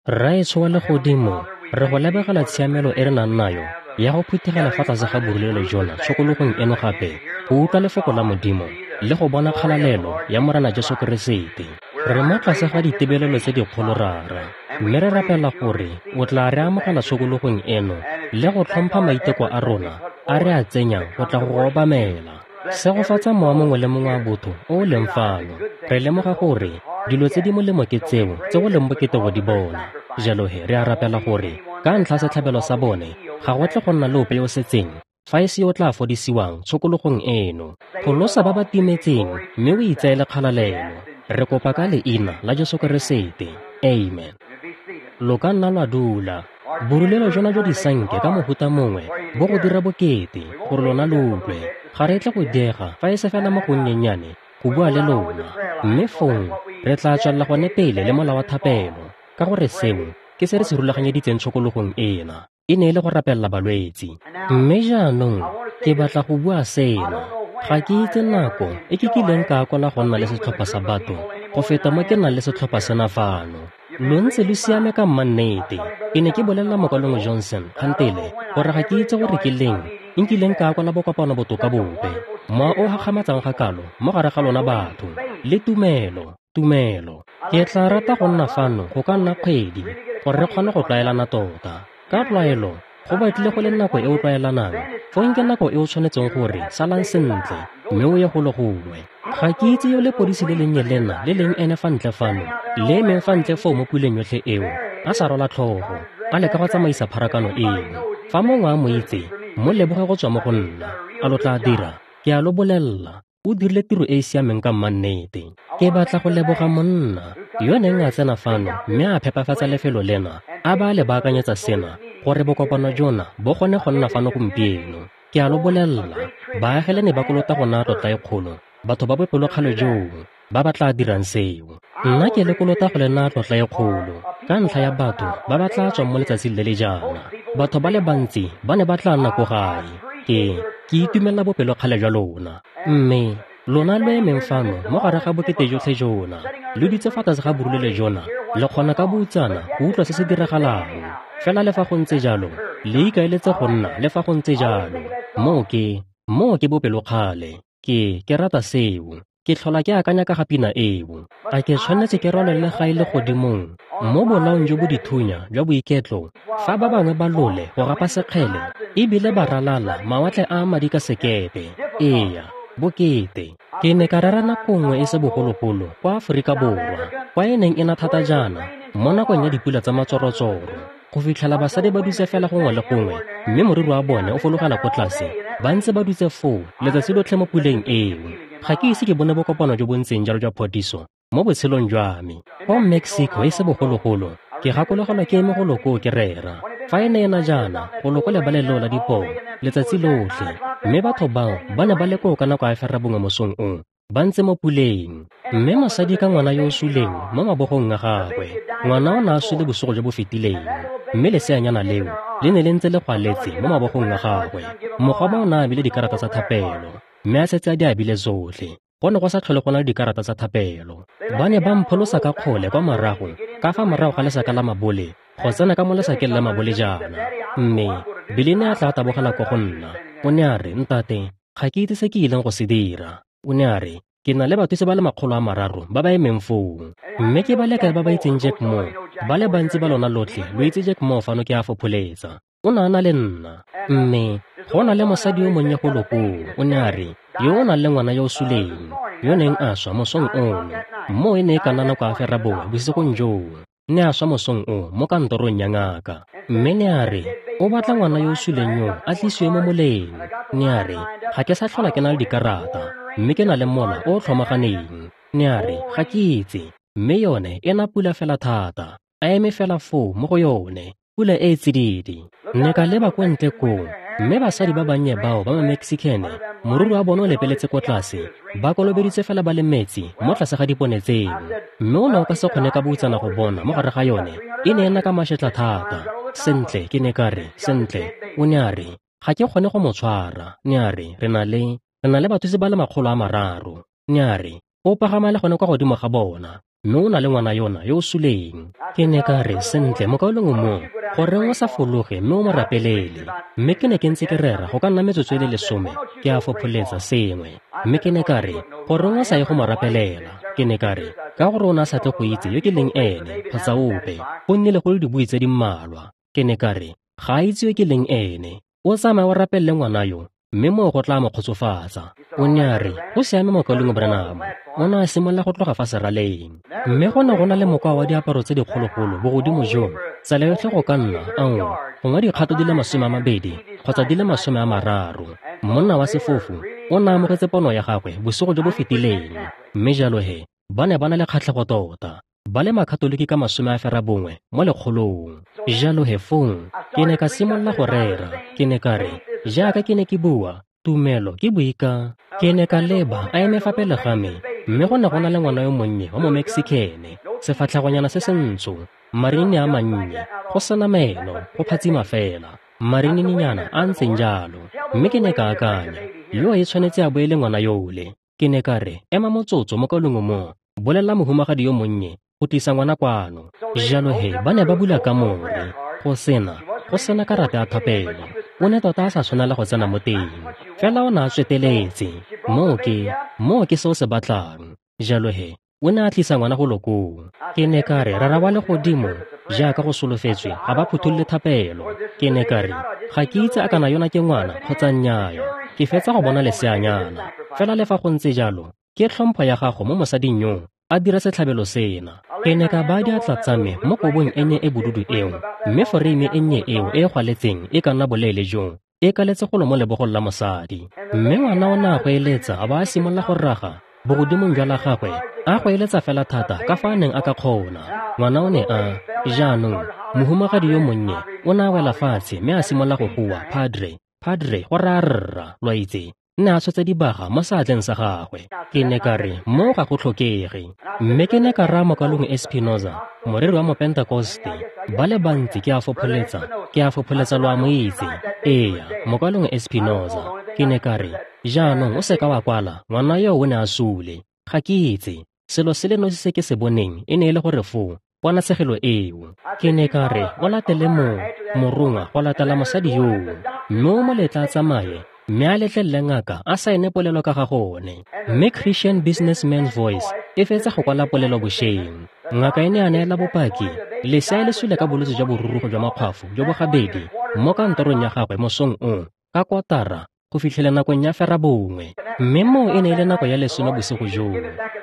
Rraetsho wa Legodimo, re go lebogela tshiamelo e re nang nayo ya go phuthegela fa tlase ga borulelo jona tshokologong eno gape go utlwa lefoko la Modimo le go bona kgalalelo ya Morena Jesu Keresete. Re mo tlase ga ditebelelo tse dikgolo Rara, mme re rapela gore o tla re amogela tshokologong eno le go tlhompha maiteko a rona a re a tsenyang go tla go go obamela. Segofatsa mowa mongwe le mongwe wa botho o o leng fano. Re lemoga gore dilo tse di molemo ke tseo tse go leng bokete go di bona. Jalo he re a rapela gore ka ntlha setlhabelo sa bone ga go tle go nna le ope yo o setseng fa e se yo o tla fodisiwang tshokologong eno. Pholosa ba ba timetseng mme o itseele kgalalelo. Re kopa ka leina la Jesu Keresete. Amen. Lo ka nna lwa dula. Borulelo jona jwa disanke ka mohuta mongwe bo go dira bokete gore lona lo utlwe. Ga re tle go diega fa e se fela mo gonnyennyane go bua le lona, mme fong re tla tswelela gone pele le mola wa thapelo, ka gore seo ke se re se rulaganyeditseng tshokologong ena, e ne e le go rapelela balwetsi. Mme jaanong ke batla go bua sena. Ga ke itse nako e ke kileng ka akola go nna le setlhopha sa batho go feta mo ke nang le setlhopha sena fano. Lo ntse lo siame ka mmannete. Ke ne ke bolelela Mokalengwe Johnson kgantele gore ga ke itse gore ke leng nkileng ka akola bokopano botoka bope. Mowa o gakgamatsang ga kalo mo gare ga lona batho le tumelo, tumelo. Ke tla rata go nna fano go ka nna kgwedi gore re kgone go tlwaelana tota. Ka tlwaelo go batlile go le nako e o tlwaelanang, fong ke nako e o tshwanetseng gore salang sentle mme o ye golo gongwe. Ga ke itse yo lepodisi le lennye lena le leng ene fa ntle fano, le emeng fa ntle foo mo puleng yotlhe eo, a sa rwala tlhogo, a leka go tsamaisa pharakano eo. Fa mongwe a mo itse, mo leboge go tswa mo go nna. A lo tla dira? Ke a lo bolelela, o dirile tiro e e siameng ka mmannete. Ke batla go leboga monna yo neng a tsena fano mme a phepafatsa lefelo lena, a ba a le baakanyetsa sena gore bokopano jona bo kgone go nna fano gompieno. Ke a lo bolelela, baagelani ba kolota go naya tlotla e kgolo batho ba bopelokgale joo ba ba tla dirang seo. Nna ke le kolota go le naya tlotla e kgolo ka ntlha ya batho ba ba tla tswang mo letsatsing le le jaana. Batho ba le bantsi ba ne ba tla nna ko gae. Ke itumelela bopelokgale jwa lona. Mme lona lo emeng fano mo gare ga bokete jotlhe jona, lo dutse fa tlase ga borulelo jona, le kgona ka boutsana go utlwa se se diragalang. Fela le fa go ntse jalo, le ikaeletse go nna le fa go ntse jalo. Moo ke bopelokgale. Ke rata seo. Ke tlhola ke akanya ka ga pina eo. A ke tshwanetse ke rwalele gae le godimong mo bolaong jo bo dithunya jwa boiketlo, fa ba bangwe ba lole go gapa sekgele ebile ba ralala mawatle a madi ka sekepe. Eya, bokete. Ke ne ka rera nako nngwe e se bogologolo kwa Aforika Borwa, kwa e neng e na thata jaana mo nakong ya dipula tsa matsorotsoro, go fitlhela basadi ba dutse fela gongwe le gongwe mme moriri wa bone o fologela ko tlase, ba ntse ba dutse foo letsatsi lotlhe mo puleng eo. Ga ke ise ke bone bokopano jo bo ntseng jalo jwa phodiso mo botshelong jwa me. Kwa Mexico e se bogologolo, ke gakologelwa ke eme golo koo ke rera. Fa e ne e na jaana, golo ko lebaleng leo la dipoo letsatsi lotlhe, mme batho bao ba ne ba le koo ka nako ya 9:30 mosong o, ba ntse mo puleng. Mme mosadi ka ngwana yo o suleng mo mabogong a gagwe. Ngwana o ne a sule bosigo jo bo fetileng, mme leseanyana leo le ne le ntse le gwaletse mo mabogong a gagwe. Mogoma o ne a abile dikarata tsa thapelo, mme a setse a di abile tsotlhe. Go ne go sa tlhole go na le dikarata tsa thapelo. Ba ne ba mpholosa ka kgole kwa morago, ka fa morago ga lesaka la mabole, go tsena ka mo lesakeng la mabole jaana. Mme Billy ne a tla tabogela ko go nna. O ne a re, "Ntate, ga ke itse se ke ileng go se dira." O ne a re, "Ke na le bathusi ba le 300 ba ba emeng foo. Mme ke ba le kae ba ba itseng Jack Moore? Ba le bantsi ba lona lotlhe lo itse Jack Moore fano, ke a fopholetsa. O ne a na le nna. Mme go na le mosadi yo monnye golo koo," o ne a re, "yo o nang le ngwana yo o suleng, yo neng a swa mosong ono. Moo e ne e ka nna nako ya 9:30 bosigong joo. Ne a swa mosong o mo kantorong ya ngaka." Mme ne a re, "O batla ngwana yo o suleng yo a tlisiwe mo moleng." Ne a re, "Ga ke sa tlhola ke na le dikarata, mme ke na le mola o o tlhomaganeng." Ne a re, "Ga ke itse." Mme yone e na pula fela thata, a eme fela foo mo go yone, pula e e tsididi. Ne ka leba ko ntle koo, mme basadi ba bannye bao ba ma-Mexican, moriri wa bone o lepeletse ko tlase, ba kolobeditse fela ba le metsi mo tlase ga dipone tseo. Mme o ne o ka se kgone ka boutsana go bona mo gare ga yone, e ne e nna ka mašetla thata. Sentle, ke ne ka re, "Sentle," o ne a re, "ga ke kgone go mo tshwara." Ne a re, Re na le bathusi ba le 300. Ne a re, "O pagama le gone kwa godimo ga bona, mme o na le ngwana yona yo o suleng." Ke ne ka re, sentle, mokaulengwe Moore, goreng o sa fologe mme o mo rapelele? Mme ke ne ke ntse ke rera go ka nna metsotso e le 10, ke a fopholetsa sengwe. Mme ke ne ka re, goreng o sa ye go mo rapelela? Ke ne ka re, ka gore o ne a sa tle go itse yo ke leng ene, kgotsa ope, go nnile go le dibui tse di mmalwa. Ke ne ka re, ga a itse yo ke leng ene. O tsamaye o rapelele ngwana yo, mme moo go tla mo kgotsofatsa. O ne a re, go siame mokaulengwe Branham. O ne a simolola go tloga fa seraleng. Mme go ne go na le mokwa wa diaparo tse dikgologolo bogodimo joo, tsela yotlhe go ka nna, gongwe dikgato di le 20 kgotsa di le 30. Monna wa sefofu o ne a amogetse pono ya gagwe bosigo jo bo fetileng. Mme jalo he, ba ne ba na le kgatlhego tota, ba le makatoliki ka 90 mo lekgolong. Jalo he fong, ke ne ka simolola go rera. Ke ne ka re, jaaka ke ne ke bua, tumelo ke boika. Ke ne ka leba a eme fa pele ga me, mme go ne go na le ngwana yo monnye wa mo-Mexicane, sefatlhegonyana se se ntsho, marinini a mannye, go sena meno, go phatsima fela, marinininyana a ntseng jalo. Mme ke ne ka akanya, yo e tshwanetse a bo e le ngwana yole. Ke ne ka re, ema motsotso mokaulengwe Moore, bolelela mohumagadi yo monnye go tlisa ngwana kwano. Jalo he, ba ne ba bula kamore, go sena karata ya thapelo. O ne tota a sa tshwanela go tsena mo teng, fela o ne a tsweteletse. Moo ke se o se batlang. Jalo he, o ne a tlisa ngwana go lokong. Ke ne ka re, Rara wa legodimo, jaaka go solofetswe, ga ba phutholole thapelo. Ke ne ka re, ga ke itse a kana yona ke ngwana kgotsa nnyaya. Ke fetsa go bona leseanyana. Fela le fa go ntse jalo, ke tlhompho ya gago mo mosading yo a dira setlhabelo sena. Ke ne ka baya diatla tsa me mo kobong e nnye e bodudu eo, mme foreime e nnye eo e e gwaletseng e ka nna boleele joo, e kaletse golo mo lebogong la mosadi. Mme ngwana o ne a goeletsa a ba a simolola go raga bogodimong jwa la gagwe, a goeletsa fela thata ka fa a neng a ka kgona. Ngwana o ne a, jaanong, mohumagadi yo monnye o ne a wela fatshe mme a simolola go goa, Padre, Padre, go raya rra, lo a itse. Ne a tshotse dibaga mo seatleng sa gagwe. Ke ne ka re, moo ga go tlhokege. Mme ke ne ka raya mokaulengwe Espinoza, moreri wa Mopentakoste, ba le bantsi ke a fopholetsa lo a mo itse. Eya, mokaulengwe Espinoza. Ke ne ka re, jaanong o seka wa kwala, ngwana yo o ne a sule. Ga ke itse, selo se le nosi se ke se boneng e ne e le gore foo, ponatshegelo eo. Ke ne ka re, o latele morongwa go latela mosadi yoo, mme o mo letla a tsamaye, mme a letlelele ngaka a saene polelo ka ga gone. Mme Christian Businessman's Voice e fetsa go kwala polelo bošeng. Ngaka e ne a neela bopaki, lesea le sule ka bolwetse jwa borurugo jwa makgwafo jo bo gabedi mo kantorong ya gagwe mosong o, ka 9:15 go fitlhela nakong ya 9:30. Mme moo e ne e le nako ya 10 bosigo joo.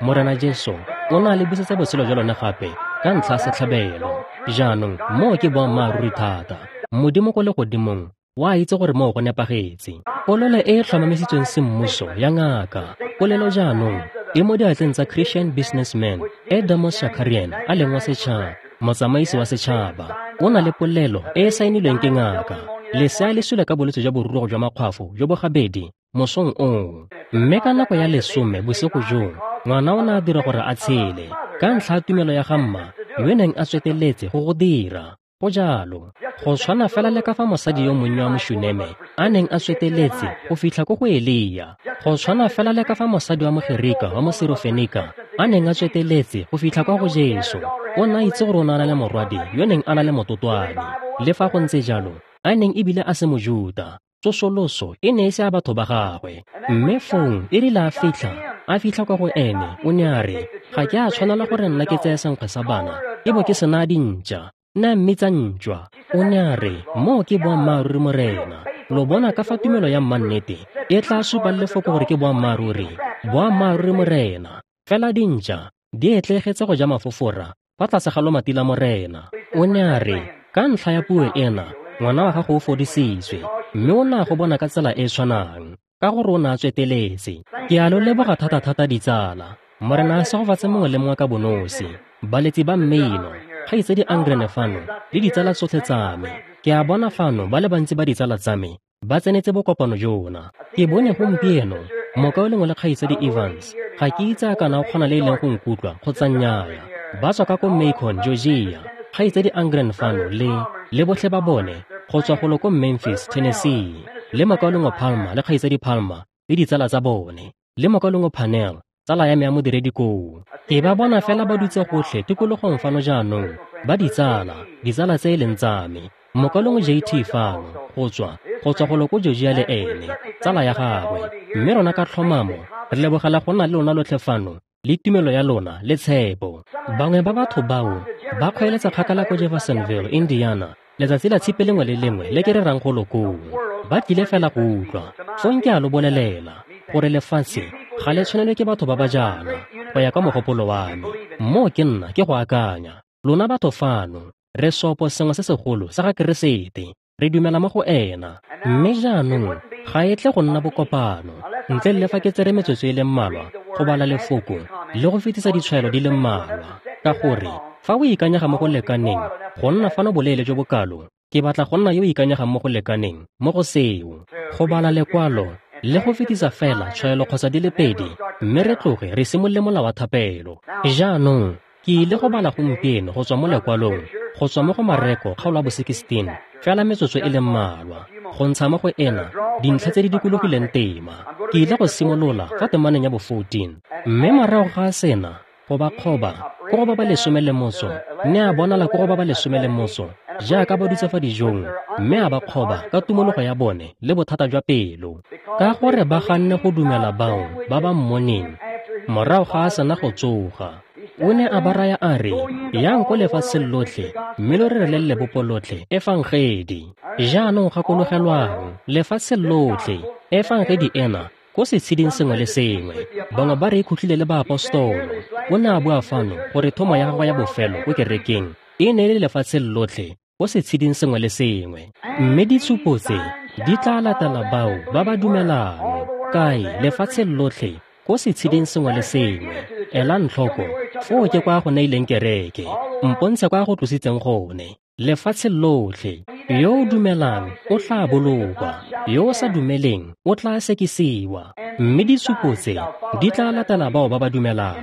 Morena Jesu o ne a le busetsa botshelo jwa lone gape ka ntlha ya setlhabelo. Jaanong moo ke boammaaruri thata. Modimo ko legodimong wa itse gore moo go nepagetse. Polelo e e tlhomamisitsweng semmuso ya ngaka, polelo jaanong e mo diatleng tsa Christian Businessman Adamos Shakarian a leng wa setšhaba, motsamaisi wa setšhaba. O na le polelo e e saenilweng ke ngaka. Lesea le sule ka bolwetse jwa borurugo jwa makgwafo jo bo gabedi mosong oo. Mme ka nako ya 10 bosigo joo, ngwana o ne a dira gore a tshele ka ntlha ya tumelo ya ga mma yo neng a tsweteletse go go dira. Go jalo, go tshwana fela le ka fa mosadi yo monnye wa Mošuneme a neng a tsweteletse go fitlha ko go Elia. Go tshwana fela le ka fa mosadi wa Mogerika wa Mosirofenika a neng a tsweteletse go fitlha kwa go Jesu. O ne a itse gore o ne a na le morwadi yo neng a na le mototwane. Le fa go ntse jalo, a neng ebile a se Mojuta, tsosoloso e ne e se a batho ba gagwe. Mme fong e rile a fitlha kwa go ene, o ne a re, ga ke a tshwanela gore nna ke tseye senkgwe sa bana e bo ke se naya dintša. Nna mmitsa ntšwa. O ne a re, moo ke boammaaruri Morena. Lo bona ka fa tumelo ya mmannete e tla supa lefoko gore ke boammaaruri. Boammaaruri Morena. Fela dintša di etlegetse go ja mafofora fa tlase ga lomati la Morena. O ne a re, ka ntlha ya puo ena, ngwana wa gago o fodisitswe, mme o ne a go bona ka tsela e e tshwanang, ka gore o ne a tsweteletse. Ke a lo leboga thata-thata ditsala. Morena a segofatse mongwe le mongwe ka bonosi, baletsi ba mmino, kgaitsedi Angrene fano le ditsala tsotlhe tsa me. Ke a bona fano ba le bantsi ba ditsala tsa me ba tsenetse bokopano jona. Ke bone gompieno mokaulengwe le kgaitsedi Evans. Ga ke itse a kana o kgona le e leng go nkutlwa kgotsa nnyaya. Ba tswa ka ko Macon, Georgia. Kgaitsedi Angren fano le botlhe ba bone go tswa golo ko Memphis, Tennessee. Le mokaulengwe Palmer le kgaitsedi Palmer le ditsala tsa bone. Le mokaulengwe Panel, tsala ya me ya modiredi koo. Ke ba bona fela ba dutse gotlhe tikologong fano jaanong. ba ditsala, ditsala tse e leng tsa me. Mokaulengwe JT fano, go tswa golo ko Georgia le ene, tsala ya gagwe. Mme rona ka tlhomamo re lebogela go nna le lona lotlhe fano, le tumelo ya lona le tshepo. Bangwe ba batho bao ba kgweeletsa kgakala ko Jeffersonville, Indiana, letsatsi la tshipi lengwe le lengwe le ke rerang golo koo. Ba tlile fela go utlwa. Fong ke a lo bolelela gore lefatshe ga le tshwanelwe ke batho ba ba jaana, go ya ka mogopolo wa me. Moo ke nna ke go akanya. Lona batho fano, re sopo sengwe se segolo sa ga Keresete. Re dumela mo go ena. Mme jaanong ga e tle go nna bokopano ntle le fa ke tsere metsotso e le mmalwa go bala lefoko le go fetisa ditshwaelo di le mmalwa, ka gore fa o ikanyega mo go lekaneng go nna fano boleele jo bokalo, ke batla go nna yo o ikanyegang mo go lekaneng mo go seo, go bala lekwalo le go fetisa fela tshwaelo kgotsa di le pedi, mme re tloge re simolole mola wa thapelo. Jaanong ke ile go bala gompieno go tswa mo lekwalong, go tswa mo go Mareko kgaolo ya bo 16, fela metsotso e le mmalwa, go ntsha mo go ena dintlha tse di dikologileng tema. Ke ile go simolola fa temaneng ya bo 14, mme morago ga sena go ba kgoba ko go ba ba 18, ne a bonala ko go ba ba 18 jaaka ba dutse fa dijong, mme a ba kgoba ka tumologo ya bone le bothata jwa pelo, ka gore ba ganne go dumela bao ba ba mmoneng morago ga a sena go tsoga. O ne a ba raya a re, yang ko lefatsheng lotlhe mme lo rerele lebopo lotlhe efangedi. Jaanong gakologelwang, lefatshe lotlhe, efangedi ena ko setsheding sengwe le sengwe. Bangwe ba re e khutlile le baapostolo. O ne a bua fano gore thomo ya gagwe ya bofelo ko kerekeng e ne e le lefatshe lotlhe ko setsheding sengwe le sengwe. Mme ditshupo tse di tla latela bao ba ba dumelang. Kae? Lefatshe lotlhe ko setsheding sengwe le sengwe. Elang tlhoko, foo ke kwa go neileng kereke. Mpontshe kwa go tlositseng gone. Lefatshe lotlhe. Yo o dumelang o tla bolokwa, yo o sa dumeleng o tla sekisiwa. Mme ditshupo tse di tla latela bao ba ba dumelang.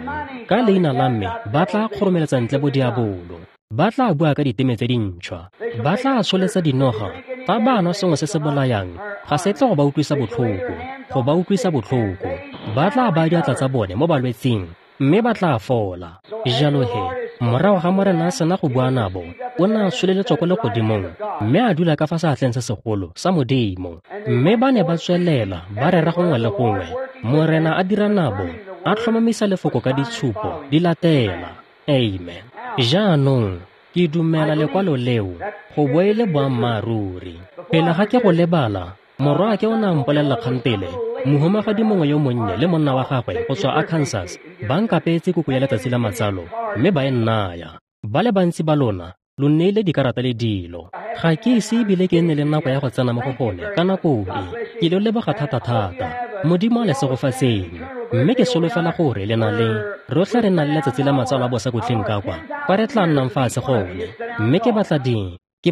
Ka leina la me ba tla kgoromeletsa ntle bodiabolo, ba tla bua ka diteme tse dintšhwa, ba tla tsholetsa dinoga. Fa ba nwa sengwe se se bolayang, ga se tle go ba utlwisa botlhoko, go ba utlwisa botlhoko. Ba tla baya diatla tsa bone mo balwetsing, mme ba tla fola. Jalo he, morago ga Morena a sena go bua nabo, o ne a tsholeletswa ko legodimong, mme a dula ka fa seatleng se segolo sa Modimo. Mme ba ne ba tswelela ba rera gongwe le gongwe. Morena a dira nabo, a tlhomamisa lefoko ka ditshupo di latela. Amen. Jaanong ke dumela lekwalo leo go bo e le boammaaruri. Pele ga ke go lebala, morwaake o ne a mpolelela kgantele, mohumagadi mongwe yo monnye le monna wa gagwe go tswa Arkansas ba nkapeetse koko ya letsatsi la matsalo, mme ba e nnaya. Ba le bantsi ba lona lo nneile dikarata le dilo. Ga ke ise ebile ke nne le nako ya go tsena mo go gone ka nako e. Ke lo leboga thata-thata. Modimo a le segofatseng. Mme ke solofela gore le na le rotlhe re na le letsatsi la matsalo a bosakhutleng ka kwa, kwa re tla nnang fatshe gone. Mme ke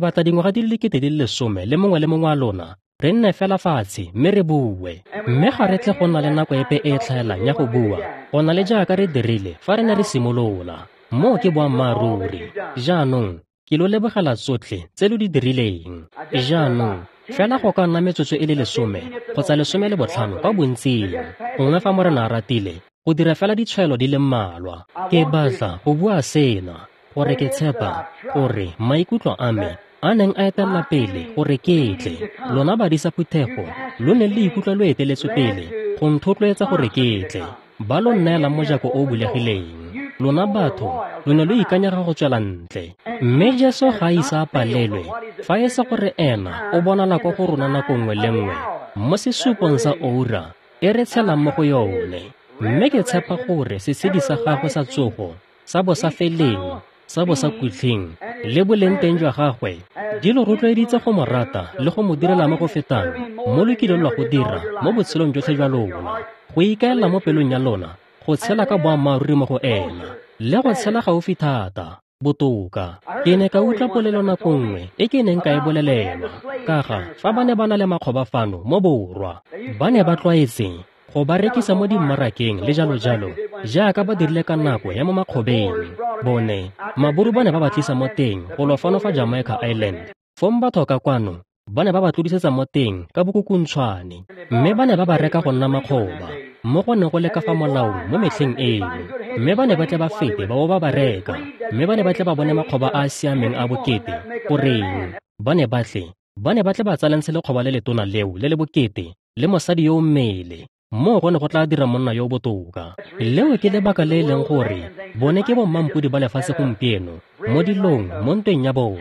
batla dingwaga di le 10,000 le mongwe le mongwe wa lona re nne fela fatshe mme re bue. Mme ga re tle go nna le nako epe e e tlhaelang ya go bua, go na le jaaka re dirile fa re ne re simolola. Moo ke boammaaruri. Jaanong ke lo lebogela tsotlhe tse lo di dirileng. Jaanong fela go ka nna metsotso e le 10 kgotsa 15 kwa bontsing, gongwe fa Morena a ratile, go dira fela ditshwaelo di le mmalwa. Ke batla go bua sena gore ke tshepa gore maikutlo a me a neng a etelela pele gore ke tle, lona badisa phuthego lo ne le ikutlwa lo eteletswe pele go nthotloetsa gore ke tle, ba lo nneelang mojako o o bulegileng. Lona batho lo ne lo ikanyega go tswela ntle. Mme Jesu ga a ise a palelwe fa e se gore ena o bonala ko go rona nako nngwe le nngwe mo sesupong sa oura e re tshelang mo go yone. Mme ke tshepa gore setshedi sa gagwe sa tsogo sa bo sa feleng, sa bo sa kutlheng le boleng teng jwa gagwe di lo rotloeditse go mo rata le go mo direla mo go fetang mo lo kileng lwa go dira mo botshelong jotlhe jwa lona, go ikaelela mo pelong ya lona go tshela ka boammaaruri mo go ena le go tshela gaufi thata botoka. Ke ne ka utlwa polelo nako nngwe e ke neng ka e bolelelwa ka ga fa ba ne ba na le makgoba fano mo borwa, ba ne ba tlwaetse go ba rekisa mo dimmarakeng le jalo-jalo jaaka ba dirile ka nako ya mo makgobeng. Bone maburu ba ne ba ba tlisa mo teng go lo fano fa Jamaica Island. Fong batho ka kwano Ba ne ba ba tlodisetsa mo teng ka bokukuntshwane, mme ba ne ba ba reka go nna makgoba, mo go ne go le ka fa molaong mo metlheng eno. Mme ba ne ba tle ba fete ba bo ba ba reka, mme ba ne ba tle ba bone makgoba a a siameng a bokete. Goreng? Ba ne ba tle ba tsalantshe lekgoba le letona leo le le bokete le mosadi yo o mmele. Moo go ne go tla dira monna yo o botoka. Leo ke lebaka le e leng gore bone ke bommampodi ba lefatshe gompieno mo dilong mo ntweng ya bone.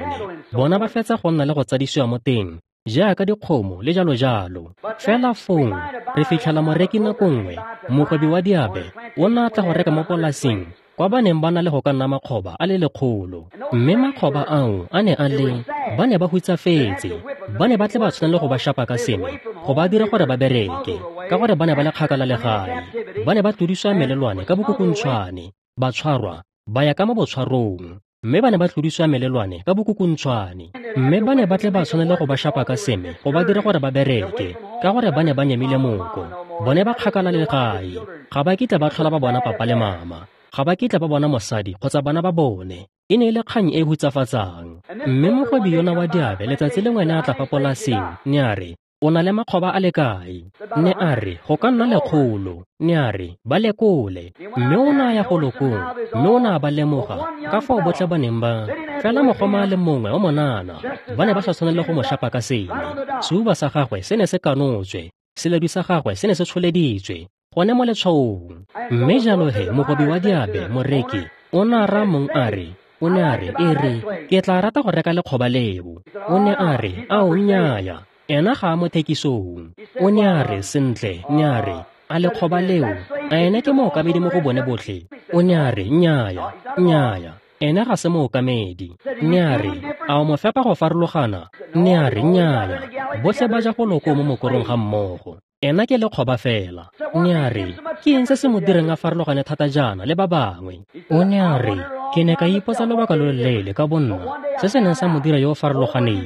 Bona ba fetsa go nna le go tsadisiwa mo teng jaaka dikgomo le jalo jalo. Fela fong re fitlhela moreki nako nngwe, mogwebi wa diabe o ne a tla go reka mo polasing kwa ba neng ba na le go ka nna makgoba a le 100. Mme makgoba ao a ne a le, ba ne ba hutsafetse, ba ne ba tle ba tshwanele go ba shapa ka sengwe go ba dira gore ba bereke, ka gore ba ne ba le kgakala le gae. Ba ne ba tlodisiwa melelwane ka bokukuntshwane, ba tshwarwa ba ya ka mo botshwarong, mme ba ne ba tlodisiwa melelwane ka bokukuntshwane. Mme ba ne ba tle ba tshwanele go ba shapa ka seme go ba dira gore ba bereke, ka gore ba ne ba nyemile moko. Bone ba kgakala le gae, ga ba kitla ba tlhola ba bona papa le mama, ga ba kitla ba bona mosadi kgotsa bana ba bone. E ne e le kgang e hutsafatsang. Mme mogwebi yona wa diabe letsatsi lengwe ne a tla fa polasing, ne a re, o na le makgoba a le kae? Ne a re, go ka nna 100. Ne a re, ba lekole. Mme o ne a ya go lokong, mme o ne a ba lemoga ka fao botlhe ba neng ba fela mogoma a le mongwe wa monana. Ba ne ba sa tshwanele go mo shapa ka sene. Seuba sa gagwe se ne se kanotswe, seledu sa gagwe se ne se tsholeditswe gone mo letshwaong. Mme jalo he mogwebi wa diabe, moreki, o ne a raya mong a re, o ne a re, e re, ke tla rata go reka lekgoba leo. O ne a re, ao nnyaya, ena ga a mo thekisong. O ne a re, sentle, ne a re, a lekgoba leo, a ene ke mookamedi mo go bone botlhe? O ne a re, nnyaya, nnyaya, ene ga se mookamedi. Ne a re, a o mo fepa go farologana? Ne a re, nnyaya, botlhe ba ja go loko mo mokorong ga mmogo. Ena ke lekgoba fela. Ne a re, ke eng se se mo direng a farologane thata jaana le ba bangwe? O ne a re, ke ne ka ipotsa lobaka lo loleele ka bonna se se neng sa mo dira yo o farologaneng.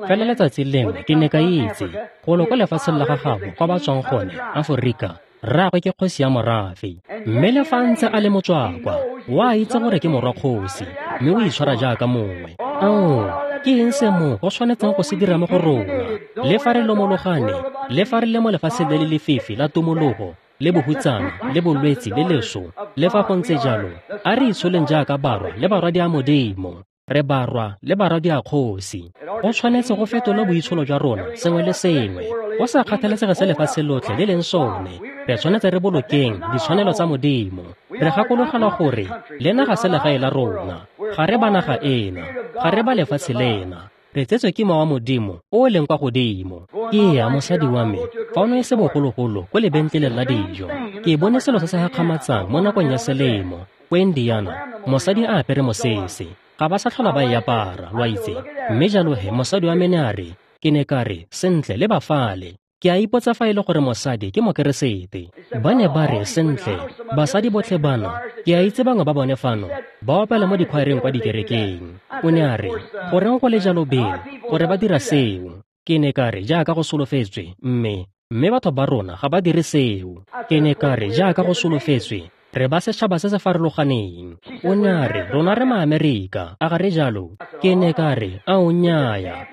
Fela letsatsi lengwe ke ne ka itse golo kwa lefatsheng la gagabo kwa ba tswang gone, Aforika, rraagwe ke kgosi ya morafe. Mme le fa ntse a le motswakwa, o a itse gore ke morwa kgosi, mme o itshwara jaaka mongwe. Ao, ke eng se mo go tshwanetseng go se dira mo go rona? Le fa re lomologane, le fa re le mo lefatsheng le le lefifi la tumologo, le bohutsana, le bolwetsi, le leso, le fa go ntse jalo, a re itsholeng jaaka barwa le barwadi a Modimo. Re barwa le barwadi a kgosi. Go tshwanetse go fetola boitsholo jwa rona sengwe le sengwe, go sa kgathalesege se lefatshe lotlhe le leng sone. Re tshwanetse re bolokeng ditshwanelo tsa Modimo. Re gakologelwa gore lena ga se legae la rona, ga re ba naga ena, ga re ba lefatshe lena. Re tsetswe ke mowa wa Modimo o o leng kwa godimo. Ke ya mosadi wa me, fa o ne e se bogologolo ko lebentleleng la dijo, ke bone selo se se gakgamatsang mo nakong ya selemo ko Indiana, mosadi a apere mosese. Ga ba sa tlhola ba e apara, lo a itse. Mme jalo he mosadi wa me ne a re, ke ne ka re, sentle le ba fale. Ke a ipotsa fa e le gore mosadi ke mokeresete. Ba ne ba re, sentle, basadi botlhe bana, ke a itse bangwe ba bone fano, ba opela mo dikhwaereng kwa dikerekeng. O ne a re, goreng go le jalo Bill, gore ba dira seo? Ke ne ka re, jaaka go solofetswe, mme batho ba rona ga ba dire seo. Ke ne ka re, jaaka go solofetswe, re ba setšhaba se se farologaneng. O ne a re, rona re maAmerika, a ga re jalo? Ke ne ka re, ao nnyaya,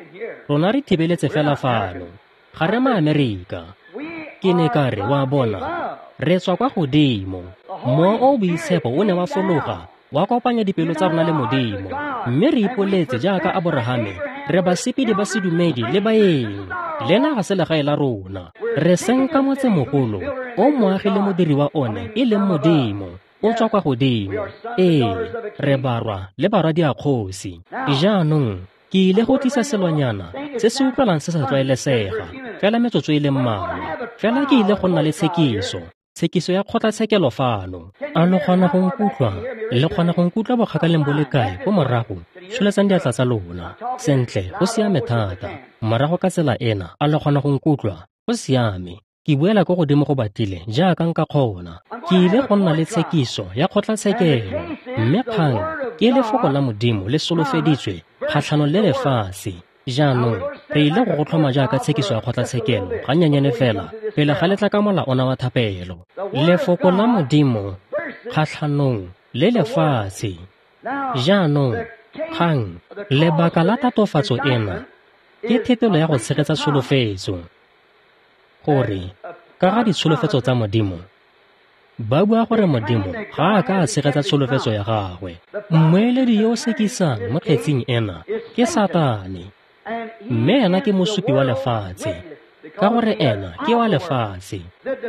rona re thibeletse fela fano, ga re maAmerika. Ke ne ka re, wa bona, re tswa kwa godimo. Mowa o o boitshepo o ne wa fologa, wa kopanya dipelo tsa rona le Modimo, mme re ipoletse jaaka Aborahame, re basepedi ba sedumedi le baeng. Lena ga se legae la rona. Re senka motsemogolo o moagi le modiri wa one e leng Modimo, o tswa kwa godimo. Ee, re barwa le barwadi a kgosi. Jaanong ke ile go tlisa selonyana se se utlwalang se sa tlwaelesega, fela metsotso e le mmalwa. Fela ke ile go nna le tshekiso ya kgotlatshekelo fano. A lo kgona go nkutlwa? Le kgona go nkutlwa bokgakaleng bo le kae ko morago? Tsholetsang diatla tsa lona. Sentle, go siame thata. Morago ka tsela ena, a lo kgona go nkutlwa? Go siame. Ke buela ko godimo go batlile jaaka nka kgona. Ke ile go nna le tshekiso ya kgotlatshekelo, mme kgang ke lefoko la Modimo le solofeditswe kgatlhanong le lefatshe. Jaanong re ile go go tlhoma jaaka tshekiso ya kgotlatshekelo gannyanyane fela pele ga letla ka mola ona wa thapelo. Lefoko la Modimo kgatlhanong le lefatshe. Jaanong kgang, lebaka la tatofatso ena Ke thetelo ya go tshegetsa tsholofetso. Gore, ka ga ditsholofetso tsa Modimo, ba bua gore Modimo ga a ka a tshegetsa tsholofetso ya gagwe. Mmueledi yo o sekisang mo kgetsing ena ke Satane, mme ena ke mosupi wa lefatshe, ka gore ena ke wa lefatshe.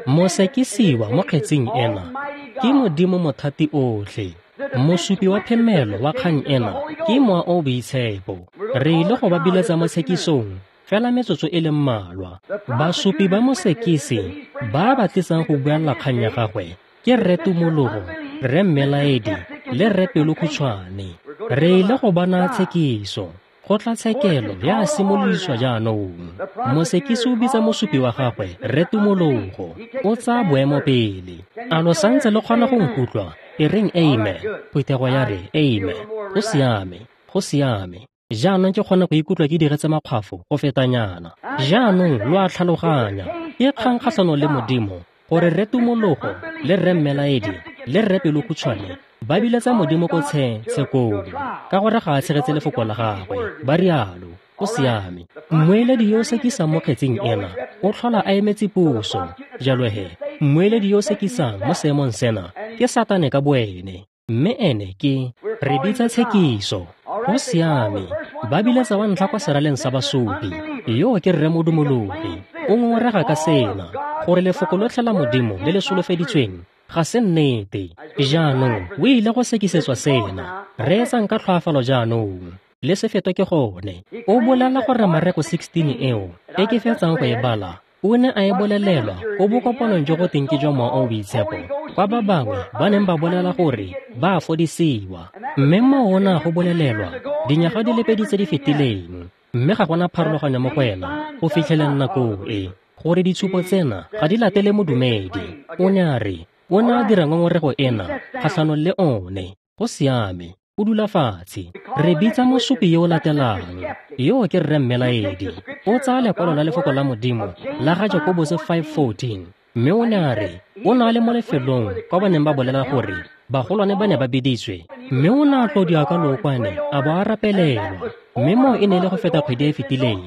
Mosekisiwa mo kgetsing ena ke Modimo mothati otlhe. Mosupi wa phemelo wa kgang ena ke Mowa o Boitshepo. Re ile go ba biletsa mo tshekisong fela metsotso e le mmalwa. Basupi ba mosekisi ba ba tlisang go buelela kgang ya gagwe ke Rre Tumologo, Rre Mmelaedi le Rre Pelokhutshwane. Re ile go bona tshekiso. Kgotlatshekelo ya simolodiswa jaanong. Mosekisi o bitsa mosupi wa gagwe, Rre Tumologo. O tsaya boemo pele. A lo santse le kgona go nkutlwa? E reng amen. Phuthego ya re amen. Go siame, go siame. Jaanong ke kgona go ikutlwa ke diretse makgwafo go fetanyana. Jaanong lo a tlhaloganya. Ke kgang kgatlhanong le Modimo gore Rre Tumologo le Rre Mmelaedi le Rre Pelokhutshwane ba biletsa Modimo ko tshekong ka gore ga a tshegetse lefoko la gagwe. Ba rialo. Go siame. Mmueledi yo o sekisang mo kgetsing ena o tlhola a emetse puso. Jalo he, mmueledi yo o sekisang mo seemong sena ke Satane ka boene, mme ene ke re bitsa tshekiso. Go siame. Ba biletsa wa ntlha kwa seraleng sa basupi. Yo ke Rre Modumologi. O ngongorega ka sena, gore lefoko lotlhe la Modimo le le solofeditsweng ga se nnete. Jaanong o ile go sekisetswa sena. Reetsang ka tlhoafalo jaanong. Le se fetwe ke gone. O bolela gore Mareko 16 eo e ke fetsang go e bala, o ne a e bolelelwa ko bokopanong jo go teng ke jwa Mowa o o Boitshepo, kwa ba bangwe ba neng ba bolela gore ba a fodisiwa. Mme moo o ne a go bolelelwa dinyaga di le pedi tse di fetileng, mme ga gona pharologanyo mo go ena go fitlheleng nako e, gore ditshupo tsena ga di latele modumedi. O ne a re o ne a dira ngongorego ena kgatlhanong le one. Go siame. O dula fatshe. Re bitsa mosupi yo o latelang. Yo ke Rre Mmelaedi. O tsaya lekwalo la lefoko la Modimo la ga Jakobose 5:14, mme o ne a re o ne a le mo lefelong kwa ba neng ba bolela gore bagolwane ba ne ba biditswe, mme o ne a tlodiwa ka lookwane a bo a rapelelwa, mme moo e ne e le go feta kgwedi e e fetileng,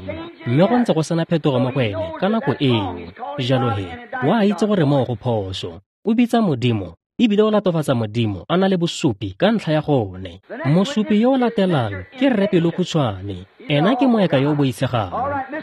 mme go ntse go sena phetogo mo go ene ka nako eo. Jalo he, o a itse gore moo go phoso. O bitsa Modimo ebile o latofatsa Modimo a na le bosupi ka ntlha ya gone. Mosupi yo o latelang ke Rre Pelokhutshwane. Ena ke moeka yo o boitshegang.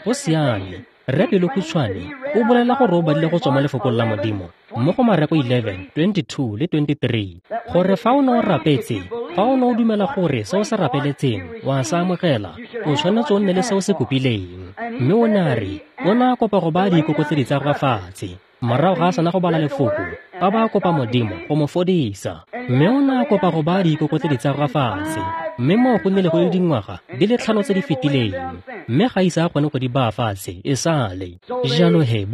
Go siame. Rre Pelokhutshwane o bolela gore o badile go tswa mo lefokong la Modimo mo go Mareko 11, 22 le 23, gore fa o ne o rapetse, fa o ne o dumela gore se o se rapeletseng wa se amogela, o tshwanetse o nne le se o se kopileng. Mme o ne a re o ne a kopa go baya diikokotledzi tsa gagwe fatshe. Morago ga a sena go bala lefoko, ba ba kopa Modimo go mo fodisa. Mme o ne a kopa go baya diikokotledzi tsa gagwe fatshe, mme moo go nnile go le dingwaga di le 5 tse di fetileng, mme ga ise a kgone go di baya fatshe e sale. Jalo he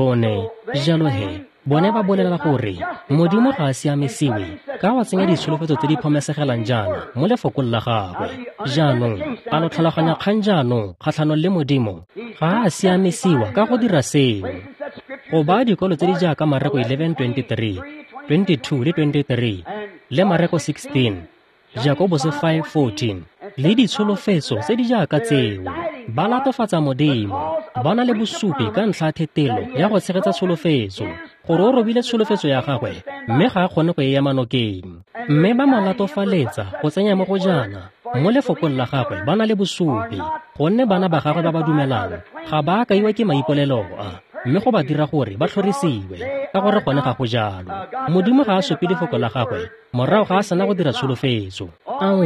bone ba bolela gore Modimo ga a siamisiwe ka go tsenya ditsholofetso tse di phomesegelang jaana mo lefokong la gagwe. Jaanong a lo tlhaloganya kgang jaanong kgatlhanong le Modimo? Ga a siamisiwa ka go dira seo. Go baya dikwalo tse di jaaka Mareko 11:23, 22 le 23, le Mareko 16, Jakobose 5:14, le ditsholofetso tse di jaaka tseo, ba latofatsa Modimo. Ba na le bosupi ka ntlha ya thetelo ya go tshegetsa tsholofetso, gore o robile tsholofetso ya gagwe mme ga a kgone go e ema nokeng. Mme ba mo latofaletsa go tsenya mo go jaana mo lefokong la gagwe. Ba na le bosupi, gonne bana ba gagwe ba ba dumelang ga ba a kaiwa ke maipolelo a, mme go ba dira gore ba tlhorisiwe, ka gore gone ga go jalo. Modimo ga a supe lefoko la gagwe morago ga a sena go dira tsholofetso. Ao,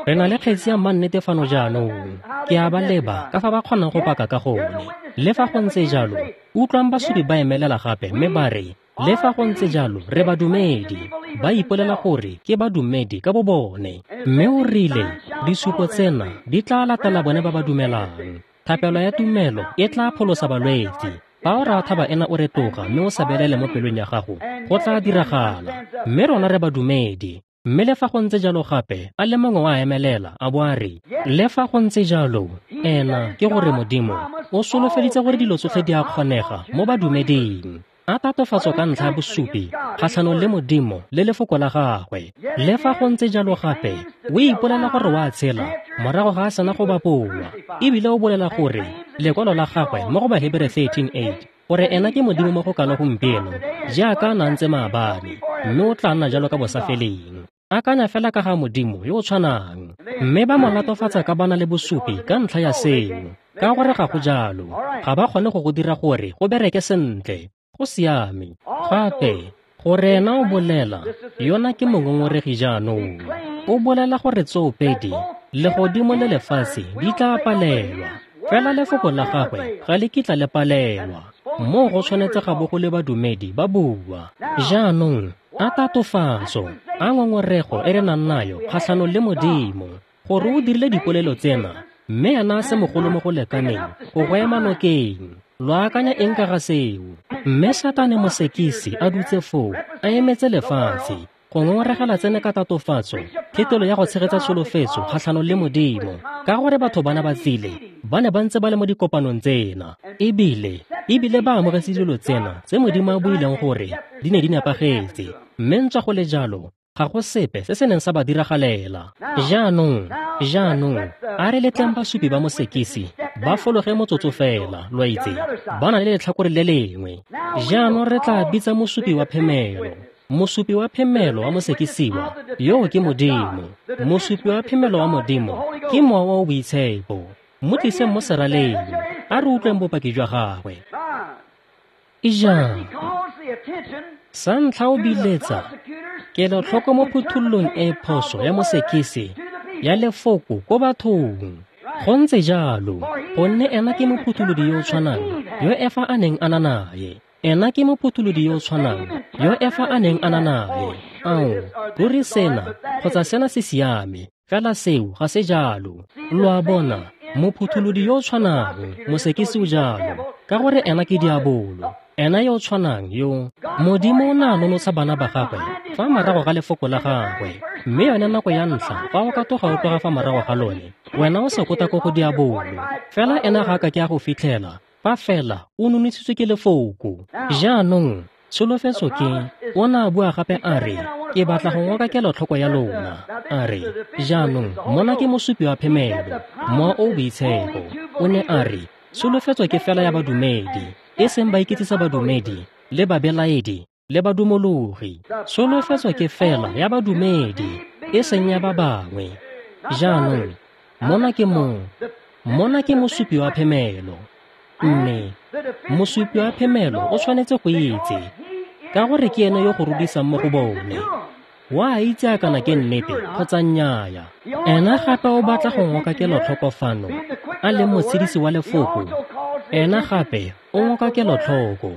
re na le kgetsi ya mannete fano jaanong. Ke a ba leba ka fa ba kgonang go paka ka gone. Le fa go ntse jalo, utlwang basupi ba emelela gape mme ba re, le fa go ntse jalo re badumedi. Ba ipolela gore ke badumedi ka bobone. Mme o rile disupo tsena di tla latela bone ba ba dumelang. Thapelo ya tumelo e tla pholosa balwetse. Fa o raya thaba ena o retoga mme o sa belele mo pelong ya gago, go tla diragala. Mme rona re badumedi. Mme le fa go ntse jalo gape, a le mongwe wa emelela a bo a re, le fa go ntse jalo, ena ke gore Modimo o solofeditse gore dilo tsotlhe di a kgonega mo badumeding. A tatofatso ka ntlha ya bosupi kgatlhanong le Modimo le lefoko la gagwe. Le fa go ntse jalo gape o ipolela gore o a tshela morago ga a sena go bapolwa, ebile o bolela gore lekwalo la gagwe mo go Bahebere 13:8 gore ena ke Modimo mo go kalo gompieno jaaka a na ntse maabane, mme o tla nna jalo ka bosafeleng. Akanya fela ka ga Modimo yo o tshwanang, mme ba mo latofatsa ka bana le bosupi ka ntlha ya seo, ka gore ga go jalo, ga ba kgone go go dira gore go bereke sentle. Go siame. Gape gore ena o bolela, yona ke mongongoregi jaanong. O bolela gore tsoopedi legodimo le lefatshe di tla palelwa, fela lefoko la gagwe ga le kitla le palelwa. Moo go tshwanetse ga bo go le badumedi ba bua. Jaanong a tatofatso, a ngongorego e re nang nayo kgatlhanong le Modimo, gore o dirile dipolelo tsena, mme ena a se mogolo mo go lekaneng go go ema nokeng. Lo akanya eng ka ga seo? Mme Satane mosekisi a dutse foo, a emetse lefatshe go ngongoregela tsene ka tatofatso, thetelo ya go tshegetsa tsholofetso kgatlhanong le Modimo, ka gore batho bana ba tsile, ba ne ba ntse ba le mo dikopanong tsena, ebile ba amogetse dilo tsena tse Modimo a buileng gore di ne di nepagetse, mme ntswa go le jalo ga go sepe se se neng sa ba diragalela. Jaanong, a re letleng basupi ba mosekisi ba fologe motsotso fela, lo itse, ba na le letlhakore le lengwe. Jaanong re tla bitsa mosupi wa phemelo. Mosupi wa phemelo wa mosekisiwa yo ke Modimo. Mosupi wa phemelo wa Modimo ke Mowa o Boitshepo. Mo tliseng mo seraleng, a re utlweng bopaki jwa gagwe. Ijang, sa ntlha o biletsa kelotlhoko mo phuthololong e phoso ya mosekisi ya lefoko ko bathong. Go ntse jalo, gonne ena ke mophutholodi yo o tshwanang yo Efa a neng a na naye. Ena ke mophutholodi yo o tshwanang yo Efa a neng a na naye. Ao, ruri sena kgotsa sena se siame, fela seo ga se jalo. Lo a bona, mophutholodi yo o tshwanang, mosekisi o jalo, ka gore ena ke diabolo. Ena yo o tshwanang yo Modimo o na nonotsha bana ba gagwe fa morago ga lefoko la gagwe, mme yone nako ya ntlha fa o ka toga o tloga fa morago ga lone, wena o sekota ko go diabolo. Fela ena ga a ka ke a go fitlhela fa fela o nonotshitswe ke lefoko. Jaanong tsholofetso ke, o na a bua gape a re, ke batla go ngoka kelotlhoko ya lona. A re, jaanong mona ke mosupi wa phemelo, Mowa o Boitshepo. O ne a re, tsholofetso ke fela ya badumedi, e seng ba iketsisa badumedi le babelaedi le badumologi. Tsholofetso ke fela ya badumedi, e seng ya ba bangwe. Jaanong mona ke mosupi wa phemelo. Mme mosupi wa phemelo o tshwanetse go itse, ka gore ke ene yo go rudisang mo go bone. Wa itse a kana ke nnete kgotsa nnyaa. Ena gape o batla go ngoka kelotlhoko fano, a leng motshedisi wa lefoko. Ena gape o ngoka kelotlhoko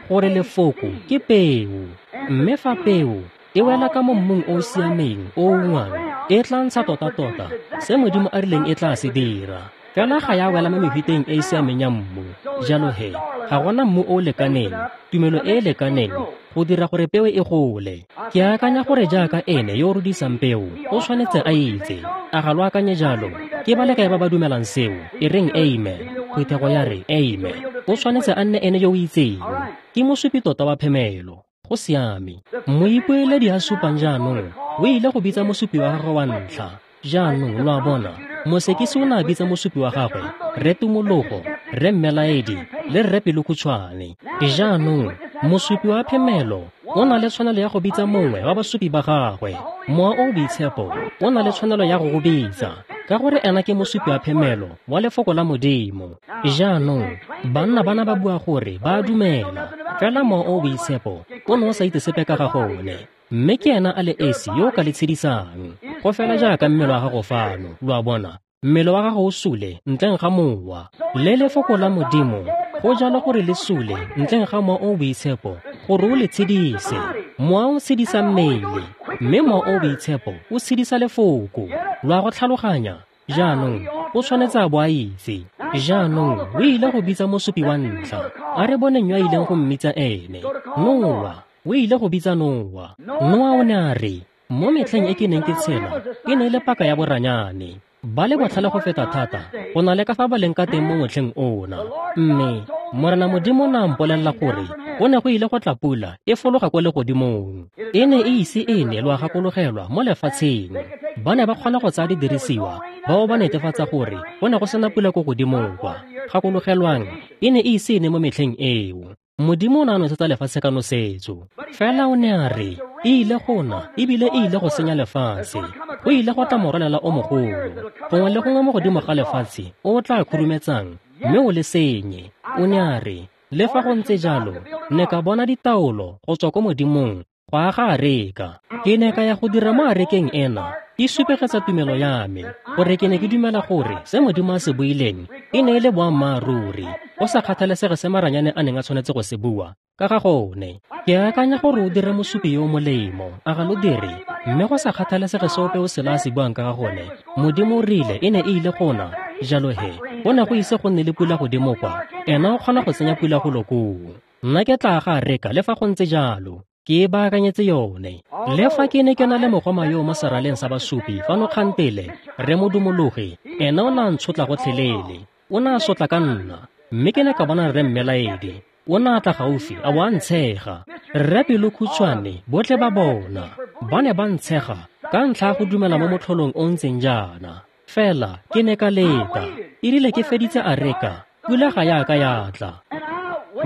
gore lefoko ke peo, mme fa peo e wela ka mo mmung o o siameng o ungwang, e tla ntsha tota-tota se Modimo a rileng e tla se dira. Fela ga ya wela mo mefuteng e e siameng ya mmu. Jalo he, ga gona mmu o o lekaneng, tumelo e e lekaneng go dira gore peo e gole. Ke akanya gore jaaka ene yo o rudisang peo o tshwanetse a itse. A ga lo akanye jalo? Ke ba le kae ba ba dumelang seo? E reng amen. Phuthego ya re amen. O tshwanetse a nne ene yo o itseng. Ke mosupi tota wa phemelo. Go siame. Moipoeledi a supang jaanong o ile go bitsa mosupi wa gagwe wa ntlha. Jaanong lo a bona, mosekisi o ne a bitsa mosupi wa gagwe Rre Tumologo, Rre Mmelaedi le Rre Pelokhutshwane. Jaanong mosupi wa phemelo o na le tshwanelo ya go bitsa mongwe wa basupi ba gagwe. Mowa o Boitshepo o na le tshwanelo ya go go bitsa, ka gore ena ke mosupi wa phemelo wa lefoko la Modimo. Jaanong banna bana ba bua gore ba a dumela, fela Mowa o Boitshepo o ne o sa itse sepe ka ga gone, mme ke ena a le esi yo o ka le tshedisang. Go fela jaaka mmele wa gago fano, lo a bona, mmele wa gago o sule ntleng ga mowa. Le lefoko la Modimo go jalo gore le sule ntleng ga Mowa o Boitshepo gore o le tshedise. Mowa o tshedisa mmele, mme Mowa o Boitshepo o tshedisa lefoko. Lo a go tlhaloganya? Jaanong o tshwanetse a bo a itse. Jaanong o ile go bitsa mosupi wa ntlha. A re boneng yo a ileng go mmitsa ene. Noa. O ile go bitsa Noa. Noa o ne a re, mo metlheng e ke neng ke tshela, e ne e le paka ya boranyane. Ba le botlhale go feta thata go na le ka fa ba leng ka teng mo motlheng ona. Mme Morena Modimo o ne a mpolelela gore go ne go ile go tla pula e fologa kwa legodimong. E ne e ise e ne, lo a gakologelwa, mo lefatsheng. Ba ne ba kgona go tsaya didirisiwa bao ba netefatsa gore go ne go sena pula ko godimong kwa. Gakologelwang, e ne e ise e ne mo metlheng eo. Modimo o ne a nosetsa lefatshe ka nosetso. Fela o ne a re, e ile go na, ebile e ile go senya lefatshe. Go ile go tla morwalela o mogolo, gongwe le gongwe mo godimo ga lefatshe o o tla khurumetsang mme o le senye. O ne a re, le fa go ntse jalo, ne ka bona ditaolo go tswa ko Modimong go aga areka. Ke ne ka ya go dira mo arekeng ena, ke supegetsa tumelo ya me, gore ke ne ke dumela gore se Modimo a se buileng e ne e le boammaaruri, go sa kgathalesege se maranyane a neng a tshwanetse go se bua ka ga gone. Ke akanya gore o dire mosupi yo o molemo, a ga lo dire? Mme go sa kgathalesege se ope o sela a se buang ka ga gone, Modimo o rile e ne e ile go na. Jalo he, go ne go ise go nne le pula godimo kwa, ena o kgona go tsenya pula golo koo. Nna ke tla aga areka le fa go ntse jalo, ke e baakanyetse yone. Le fa ke ne ke na le mogoma yo mo seraleng sa basupi fano kgantele, re modumologi, ena o ne a ntshotla gotlhelele. O ne a sotla ka nna, mme ke ne ka bona rre Mmelaedi. O ne a tla gaufi a bo a ntshega. Rre Pelokhutshwane, botlhe ba bona, ba ne ba ntshega ka ntlha ya go dumela mo motlholong o ntseng jaana. Fela ke ne ka leta, erile ke feditse areka, pula ga ya ka ya tla.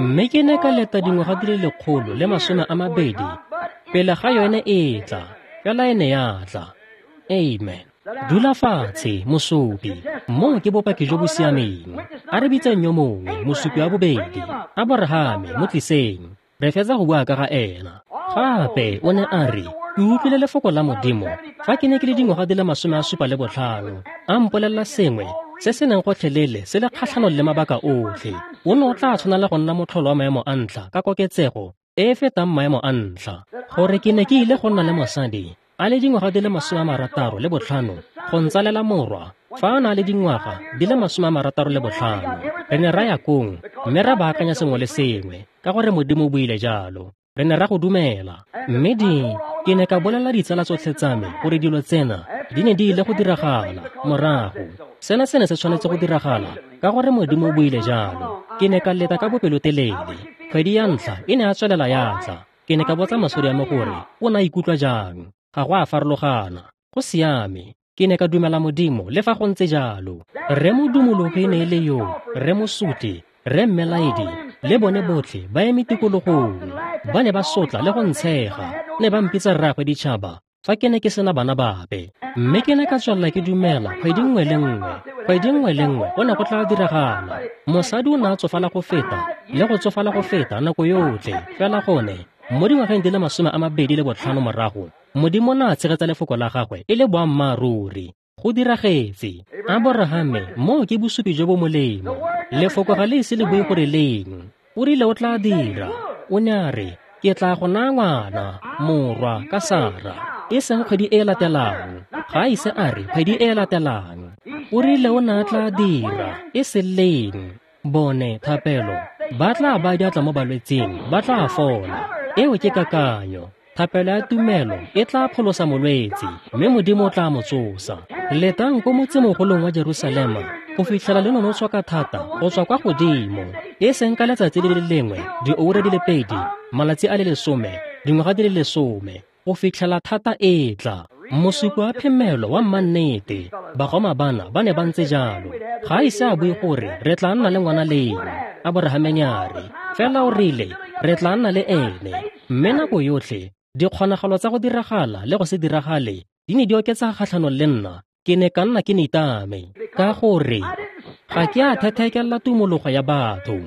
Mme ke ne ka leta dingwaga di le 120 pele ga yone e tla, fela e ne ya tla. Amen. Dula fatshe, mosupi. Moo ke bopaki jo bo siameng. A re bitseng yo mongwe, mosupi wa bobedi, Aborahame, mo tliseng. Re fetsa go bua ka ga ena. Gape o ne a re, ke utlwile lefoko la Modimo fa ke ne ke le dingwaga di le 75, a mpolelela sengwe se se neng gotlhelele se le kgatlhanong le mabaka otlhe. O ne o tla tshwanela go nna motlholo wa maemo a ntlha ka koketsego e e fetang maemo a ntlha, gore ke ne ke ile go nna le mosadi a le dingwaga di le 65 go ntsalela morwa fa a na le dingwaga di le 65. Re ne ra ya kong mme ra baakanya sengwe le sengwe ka gore Modimo o buile jalo. Re ne ra go dumela. Mme ke ne ka bolela ditsala tsotlhe tsa me gore dilo tsena di ne di ile go diragala morago. Sena se ne se tshwanetse go diragala ka gore Modimo o buile jalo. Ke ne ka leta ka bopelotelele. Kgwedi ya ntlha e ne a tswelela ya tla. Ke ne ka botsa mosadi wa me gore o ne a ikutlwa jang. Ga go a farologana. Go siame. Ke ne ka dumela Modimo le fa go ntse jalo. Rre modumologi e ne e le yo, rre mosuti, rre Mmelaedi, le bone botlhe ba eme tikologong. Ba ne ba sotla le go ntshega, ne ba mpitsa rraagwe ditšhaba fa ke ne ke sena bana bape. Mme ke ne ka tswelela ke dumela kgwedi nngwe le nngwe, kgwedi nngwe le nngwe go ne go tla diragala. Mosadi o ne a tsofala go feta le go tsofala go feta nako yotlhe, fela gone mo dingwageng di le 25 morago, Modimo o ne a tshegetsa lefoko la gagwe e le boammaaruri. Go diragetse. Aborahame, moo ke bosupi jo bo molemo. Lefoko ga le ise le bue gore leng. O rile o tla dira. O ne a re, ke tla go naya ngwana, morwa, ka Sara. E seng kgwedi e latelang. Ga a ise a re kgwedi e latelang. O rile o ne a tla dira, e se leng. Bone, thapelo, ba tla ba diatla mo balwetsing, ba tla fola. Eo ke kakanyo. Thapelo ya tumelo e tla pholosa molwetse, mme Modimo o tla mo tsosa. Letang ko motsemogolong wa Jerusalema go fitlhela le nonotshwa ka thata go tswa kwa godimo, e seng ka letsatsi le le lengwe, dioura di le 2, malatsi a le 10, dingwaga di le 10, go fitlhela thata e tla. Mosupi wa phemelo wa mmannete, bagoma bana ba ne ba ntse jalo. Ga a ise a bue gore re tla nna le ngwana leng, Aborahame ne a re, fela o rile re tla nna le ene. Mme nako yotlhe dikgonagalo tsa go diragala le go se diragale di ne di oketsa kgatlhanong le nna. Ke ne ka nna ke nitame ka gore ga ke a thethekelela tumologo ya batho.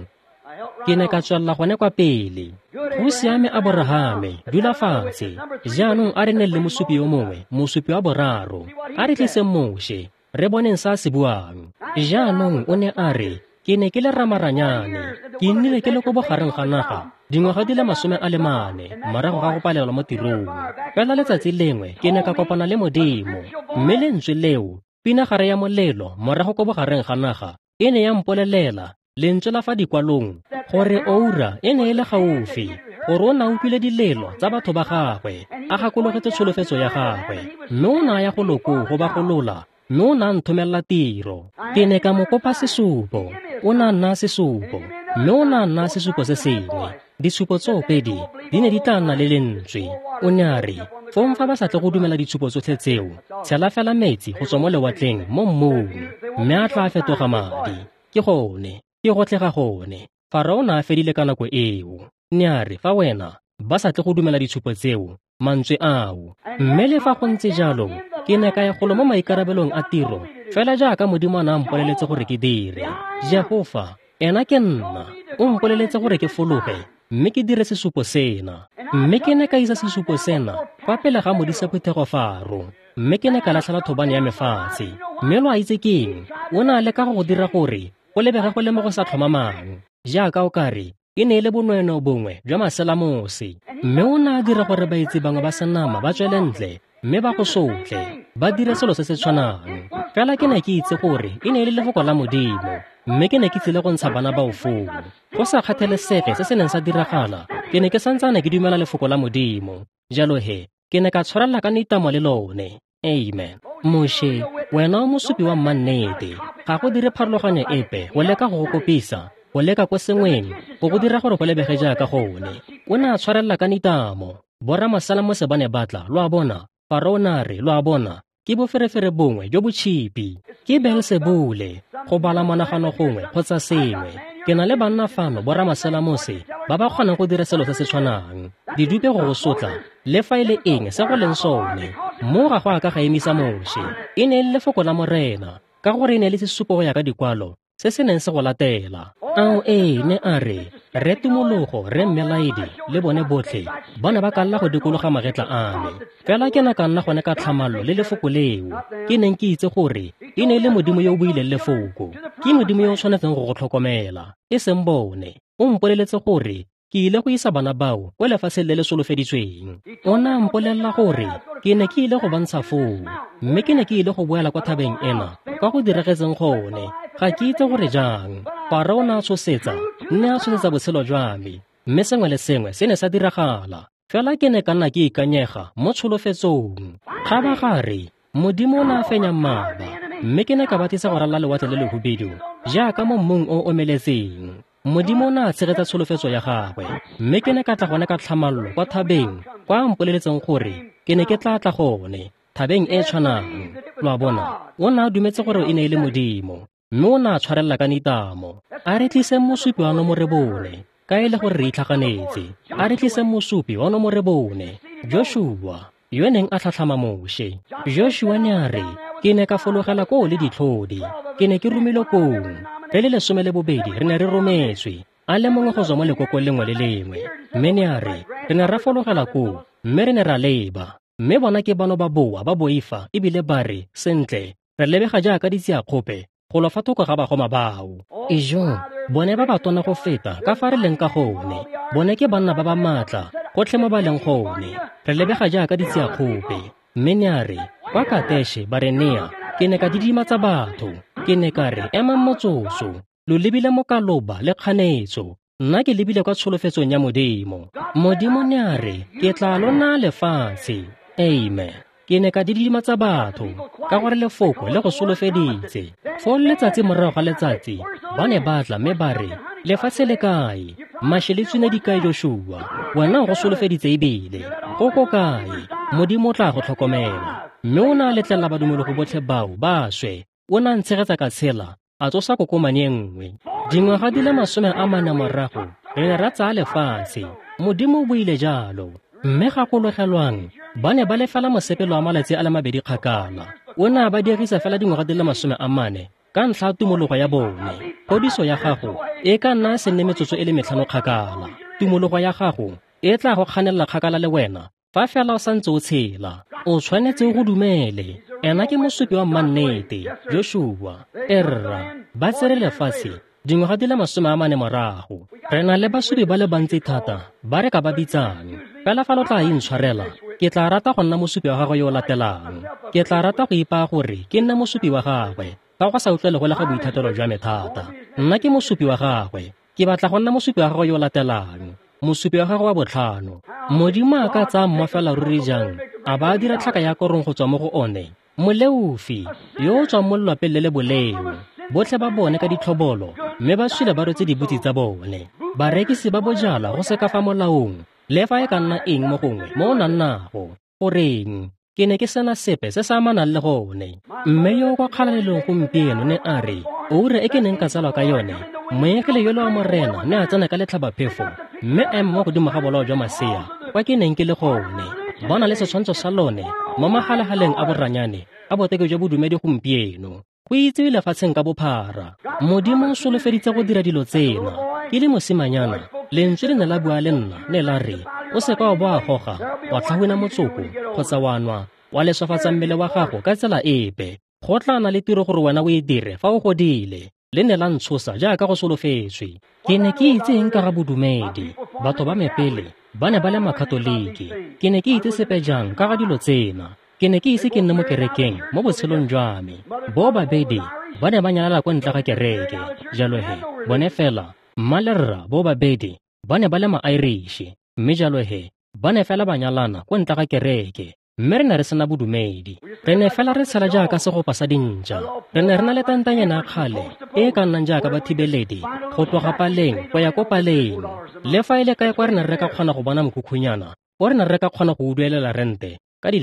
Ke ne ka tswelela gone kwa pele. Go siame Aborahame, dula fatshe. Jaanong a re neng le mosupi yo mongwe, mosupi wa boraro. A re tliseng Moshe, re boneng se a se buang. Jaanong o ne a re, ke ne ke le ramaranyane, ke nnile ke le ko bogareng ga naga dingwaga di le 44 morago ga go palelwa mo tirong. Fela letsatsi lengwe ke ne ka kopana le Modimo, mme lentswe leo, pinagare ya molelo morago ko bogareng ga naga, e ne ya mpolelela lentswe la fa dikwalong gore oura e ne e le gaufi, gore o ne a utlwile dilelo tsa batho ba gagwe, a gakologetse tsholofetso ya gagwe, mme o ne a ya go loko go ba golola, mme o ne a nthomelela tiro. Ke ne ka mo kopa sesupo, o ne a nna sesupo. Mme o ne a nna sesupo se sengwe. Ditshupo tsoopedi di ne di tla nna le lentswe. O ne a re, fong fa ba sa tle go dumela ditshupo tsotlhe tseo, tshela fela metsi go tswa mo lewatleng mo mmung, mme a tla fetoga madi. Ke gone, ke gotlhe ga gone. Farao o ne a fedile ka nako eo. Ne a re, fa wena ba sa tle go dumela ditshupo tseo, mantswe ao. Mme le fa go ntse jalo, ke ne ka ya golo mo maikarabelong a tiro, fela jaaka Modimo a ne a mpoleletse gore ke dire. Jehofa, ena ke nna, o mpoleletse gore ke fologe, mme ke dire sesupo sena. Mme ke ne ka isa sesupo sena kwa pele ga modisa phuthego Faro, mme ke ne ka latlhela thobane ya me fatshe. Mme lo a itse ke eng? O ne a leka go go dira gore go lebege go le mo go sa tlhomamang, jaaka o ka re e ne e le bonweenwee bongwe jwa maselamose. Mme o ne a dira gore baetsi bangwe ba senama ba tswele ntle mme ba go sotle, ba dire selo se se tshwanang. Fela ke ne ke itse gore e ne e le lefoko la Modimo, mme ke ne ke tsile go ntsha bana bao foo. Go sa kgathalesege se se neng sa diragala, ke ne ke santsane ke dumela lefoko la Modimo. Jalo he, ke ne ka tshwarela ka nitamo le lone. Amen. Moshe, wena o mosupi wa mmannete. Ga go dire pharologanyo epe go leka go go kopisa, go leka ko sengweng, go go dira gore go lebege jaaka gone. O ne a tshwarella ka nitamo. Boramaselamose ba ne ba tla, lo a bona. Farao o ne a re, lo a bona, ke boferefere bongwe jo bo tšhipi. Ke Beelsebule, go bala monagano gongwe kgotsa sengwe. Ke na le banna fano boramaselamose ba ba kgonang go dira selo se se tshwanang. Didupe go go sotla, le fa e le eng se go leng sone. Mo ga go a ka ga emisa Moshe. E ne e le lefoko la Morena, ka gore e ne e le sesupo go ya ka dikwalo se se neng se go latela. Ao ee, ne a re, Rre Tumologo, Rre Mmelaedi le bone botlhe ba ne ba ka lla go dikologa magetla a me. Fela ke ne ka nna gone ka tlhamallo le lefoko leo. Ke neng ke itse gore e ne e le Modimo yo o buileng lefoko. Ke Modimo yo o tshwanetseng go go tlhokomela, e seng bone. O mpoleletse gore ke ile go isa bana bao kwa lefatsheng le le solofeditsweng. O ne a mpolelela gore ke ne ke ile go ba ntsha foo, mme ke ne ke ile go boela kwa thabeng ena, kwa go diragetseng gone. Ga ke itse gore jang. Farao o ne a tshosetsa, nne a tshosetsa botshelo jwa me, mme sengwe le sengwe se ne sa diragala. Fela ke ne ka nna ke ikanyega mo tsholofetsong. Kgabagare, Modimo o ne a fenya mmaba, mme ke ne ka ba tlisa go ralala lewatle le lehubedu jaaka mo mmung o omeletseng. Modimo o ne a tshegetsa tsholofetso ya gagwe, mme ke ne ka tla gone ka tlhamallo kwa thabeng kwa a mpoleletseng gore ke ne ke tla tla gone, thabeng e e tshwanang. Lo a bona, o ne a dumetse gore e ne e le Modimo, mme o ne a tshwarella ka nitamo. A re tliseng mosupi wa nomore bone, ka e le gore re itlhaganetse. A re tliseng mosupi wa nomore bone, Joshua, yo neng a tlhatlhama Moshe. Joshua ne a re, ke ne ka fologela koo le ditlhodi, ke ne ke romilwe koo. Re le 12 re ne re rometswe, a le mongwe go tswa mo lekokong lengwe le lengwe. Mme ne a re, re ne ra fologela koo, mme re ne ra leba. Mme bona ke bano ba boa ba boifa ebile ba re, sentle, re lebega jaaka ditsiakgope go lo fa thoko ga bagoma bao. Ijo, bone ba ba tona go feta ka fa re leng ka gone. Bone ke banna ba ba maatla gotlhe mo ba leng gone. Re lebega jaaka ditsiakgope. Mme ne a re, kwa Kateshe Barenea, ke ne ka didimatsa batho. Ke ne ka re, emang motsotso, lo lebile mokaloba le kganetso. Nna ke lebile kwa tsholofetsong ya Modimo. Modimo ne a re, ke tla lo naya lefatshe. Amen. Ke ne ka didimatsa batho, ka gore lefoko le go solofeditse. Foo letsatsi morago ga letsatsi, ba ne ba tla mme ba re, lefatshe le kae? Mashi le tswine di kae, Joshua? Wena o go solofeditse ebile. Go ko kae? Modimo o tla go tlhokomela. Mme o ne a letlelela badumologo botlhe bao ba swe. O ne a ntshegetsa ka tshela, a tsosa kokomane e nngwe. Dingwaga di le 40 morago, re ne ra tsaya lefatshe. Modimo o buile jalo. Mme gakologelwang, ba ne ba le fela mosepelo wa malatsi a le mabedi kgakala. O ne a ba dirisa fela dingwaga di le 40 ka ntlha ya tumologo ya bone. Phodiso ya gago e ka nna se nne metsotso e le 5 kgakala. Tumologo ya gago e tla go kganelela kgakala le wena fa fela o santse o tshela. O tshwanetse o go dumele. Ena ke mosupi wa mmannete, Joshua. Erra, ba tsere lefatshe dingwaga di le 40 morago. Re na le basupi ba le bantsi thata ba re ka ba bitsang. Fela fa lo tla intshwarela, ke tla rata go nna mosupi wa gagwe yo o latelang. Ke tla rata go ipaya gore ke nne mosupi wa gagwe, ka go sa utlwele go le ga boithatelo jwa me thata. Nna ke mosupi wa gagwe. Ke batla go nna mosupi wa gagwe yo o latelang, mosupi wa gagwe wa botlhano. Modimo a ka tsaya mma fela ruri jang, a ba a dira tlhaka ya korong go tswa mo go one? Moleofi yo o tswang mo lelwapeng le le boleo, Botlhe ba bone ka ditlhobolo, mme ba sule ba rwetse dibutsi tsa bone. Barekisi ba bojalwa go se ka fa molaong, le fa e ka nna eng mo gongwe mo o nang nago. Goreng, ke ne ke sena sepe se se amanang le gone. Mme yo o kwa kgalalelong gompieno ne a re, oura e ke neng ka tsalwa ka yone, moengele yole wa Morena ne a tsena ka letlhabaphefo, mme a ema mo godimo ga bolao jwa masea kwa ke neng ke le gone. Ba na le setshwantsho sa lone mo magalagaleng a boranyane a boteke jwa bodumedi gompieno. Go itsewe lefatsheng ka bophara. Modimo o solofeditse go dira dilo tsena. Ke le mosimanyana, lentswe le ne la bua le nna, ne la re, o se ka wa bo a goga, wa tlhahuna motsoko, kgotsa wa nwa, wa leswafatsa mmele wa gago ka tsela epe. Go tla na le tiro gore wena o e dire fa o godile. Le ne la ntshosa jaaka go solofetswe. Ke ne ke itse eng ka ga bodumedi. Batho ba me pele ba ne ba le makatoliki. Ke ne ke itse sepe jang ka ga dilo tsena. Ke ne ke ise ke nne mo kerekeng mo botshelong jwa me. Bo babedi ba ne ba nyalala kwa ntle ga kereke. Jalo he, bone fela, mma le rra bo babedi ba ne ba le ma-Irish, mme jalo he, ba ne fela ba nyalana kwa ntle ga kereke. Mme re ne re sena bodumedi. Re ne fela re tshela jaaka segopa sa dintša. Re ne re na le tantanyana ya kgale e e ka nnang jaaka bathibeledi go tloga paleng go ya ko paleng. Le fa e le kae kwa re ne re ka kgona go bona mokhukhunyana, o re ne re ka kgona go duelela rente ka $3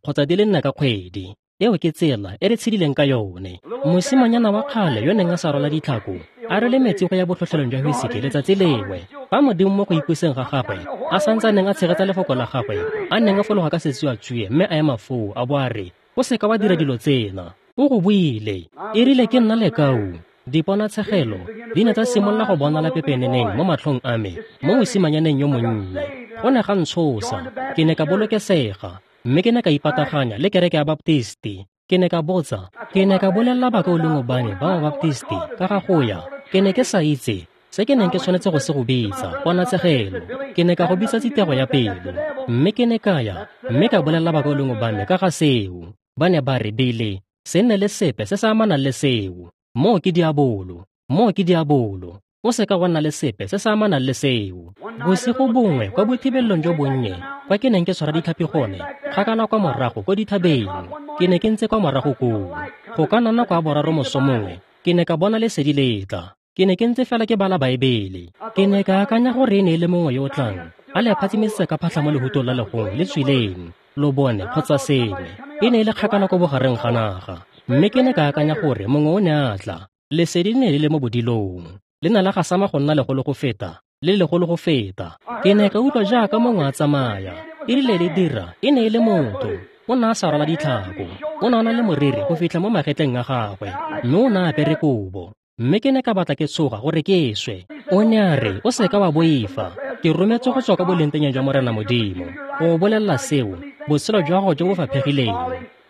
kgotsa $4 ka kgwedi. Eo ke tsela e re tshedileng ka yone. Mosimanyana wa kgale yo neng a sa rwala ditlhako a rwele metsi go ya botlhotlhelong jwa whisky letsatsi lengwe, fa Modimo mo go ipuseng ga gagwe a santse a neng a tshegetsa lefoko la gagwe, a neng a fologa ka setsuatsue mme a ema foo a bo a re, o se ka wa dira dilo tsena. O go buile. E rile ke nna lekau, diponatshegelo di ne tsa simolola go bonala pepeneneng mo matlhong a me mo mosimanyaneng yo monnye. Go ne ga ntshosa. Ke ne ka bolokesega, mme ke ne ka ipataganya le kereke ya Baptisti. Ke ne ka botsa, ke ne ka bolelela bakaulengwe ba me ba Baptisti ka ga go ya. Ke ne ke sa itse se ke neng ke tshwanetse go se go bitsa ponatshegelo. Ke ne ka go bitsa tsitego ya pelo, mme ke ne ka ya mme ka bolelela bakaulengwe ba me ka ga seo. Ba ne ba re, Bile, se nne le sepe se se amanang le seo. Moo ke diabolo, moo ke diabolo. O se ka wa nna le sepe se se amanang le seo. Bosigo bongwe kwa bothibelelong jo bonnye kwa ke neng ke tshwara ditlhapi gone, kgakala kwa morago ko dithabeng, ke ne ke ntse kwa morago koo. Go ka nna nako ya boraro moso mongwe, ke ne ka bona lesedi le tla. Ke ne ke ntse fela ke bala Baebele. Ke ne ka akanya gore e ne e le mongwe yo o tlang a le phatsimisitse ka phatlha mo lehutong la legong le tswileng, lobone kgotsa sengwe. E ne e le kgakala ko bogareng ga naga, mme ke ne ka akanya gore mongwe o ne a tla. Lesedi le ne le le mo bodilong, le ne la gasama go nna legolo go feta, le legolo go feta. Ke ne ka utlwa jaaka mongwe a tsamaya. E rile le dira, e ne e le motho. O ne a sa rwala ditlhako, o ne a na le moriri go fitlha mo magetleng a gagwe, mme o ne a apere kobo. Mme ke ne ka batla ke tshoga gore ke swe. O ne a re, o se ka wa boifa. Ke rometswe go tswa ka bolengteng jwa Morena Modimo go o bolelela seo, botshelo jwa gago jo bo faphegileng.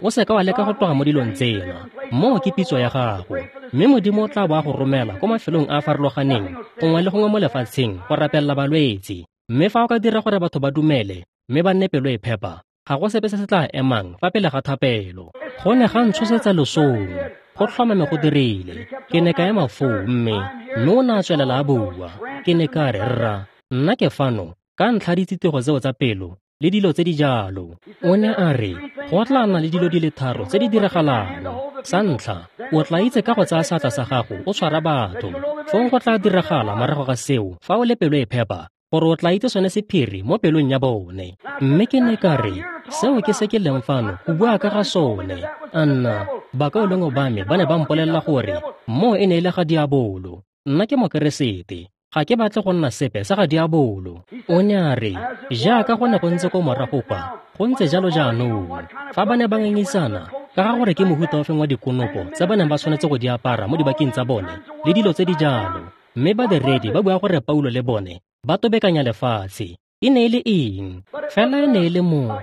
O se ka wa leka go tloga mo dilong tsena. Moo ke pitso ya gago. Mme Modimo o tla bo a go romela ko mafelong a a farologaneng gongwe le gongwe mo lefatsheng go rapelela balwetse. Mme fa o ka dira gore batho ba dumele mme ba nne pelo e phepa, ga go sepe se se tla emang fa pele ga thapelo. Go ne ga ntshosetsa losong. Go tlhomame go dirile. Ke ne ka ema foo mme o ne a tswelela a bua. Ke ne ka re, rra, nna ke fano ka ntlha ditsitego tseo tsa pelo le dilo tse di jalo. O ne a re, go tla nna le dilo di le tharo tse di diragalang. Sa ntlha, o tla itse ka go tsaya seatla sa gago o tshwara batho. Fong go tla diragala morago ga seo fa o le pelo e phepa, gore o tla itse sone sephiri mo pelong ya bone. Mme ke ne ka re, seo ke se ke leng fano go bua ka ga sone. A nna, bakaulengwe ba me ba ne ba mpolelela gore moo e ne e le ga diabolo. Nna ke Mokeresete, ga ke batle go nna sepe sa ga diabolo. O ne a re, jaaka go ne go ntse ko morago kwa, go ntse jalo jaanong. Fa ba ne ba ngangisana ka ga gore ke mohuta ofeng wa dikonopo tse ba neng ba tshwanetse go di apara mo dibakeng tsa bone le dilo tse di jalo, mme badiredi ba bua gore Paulo le bone ba tobekanya lefatshe. E ne e le eng? Fela e ne e le mowa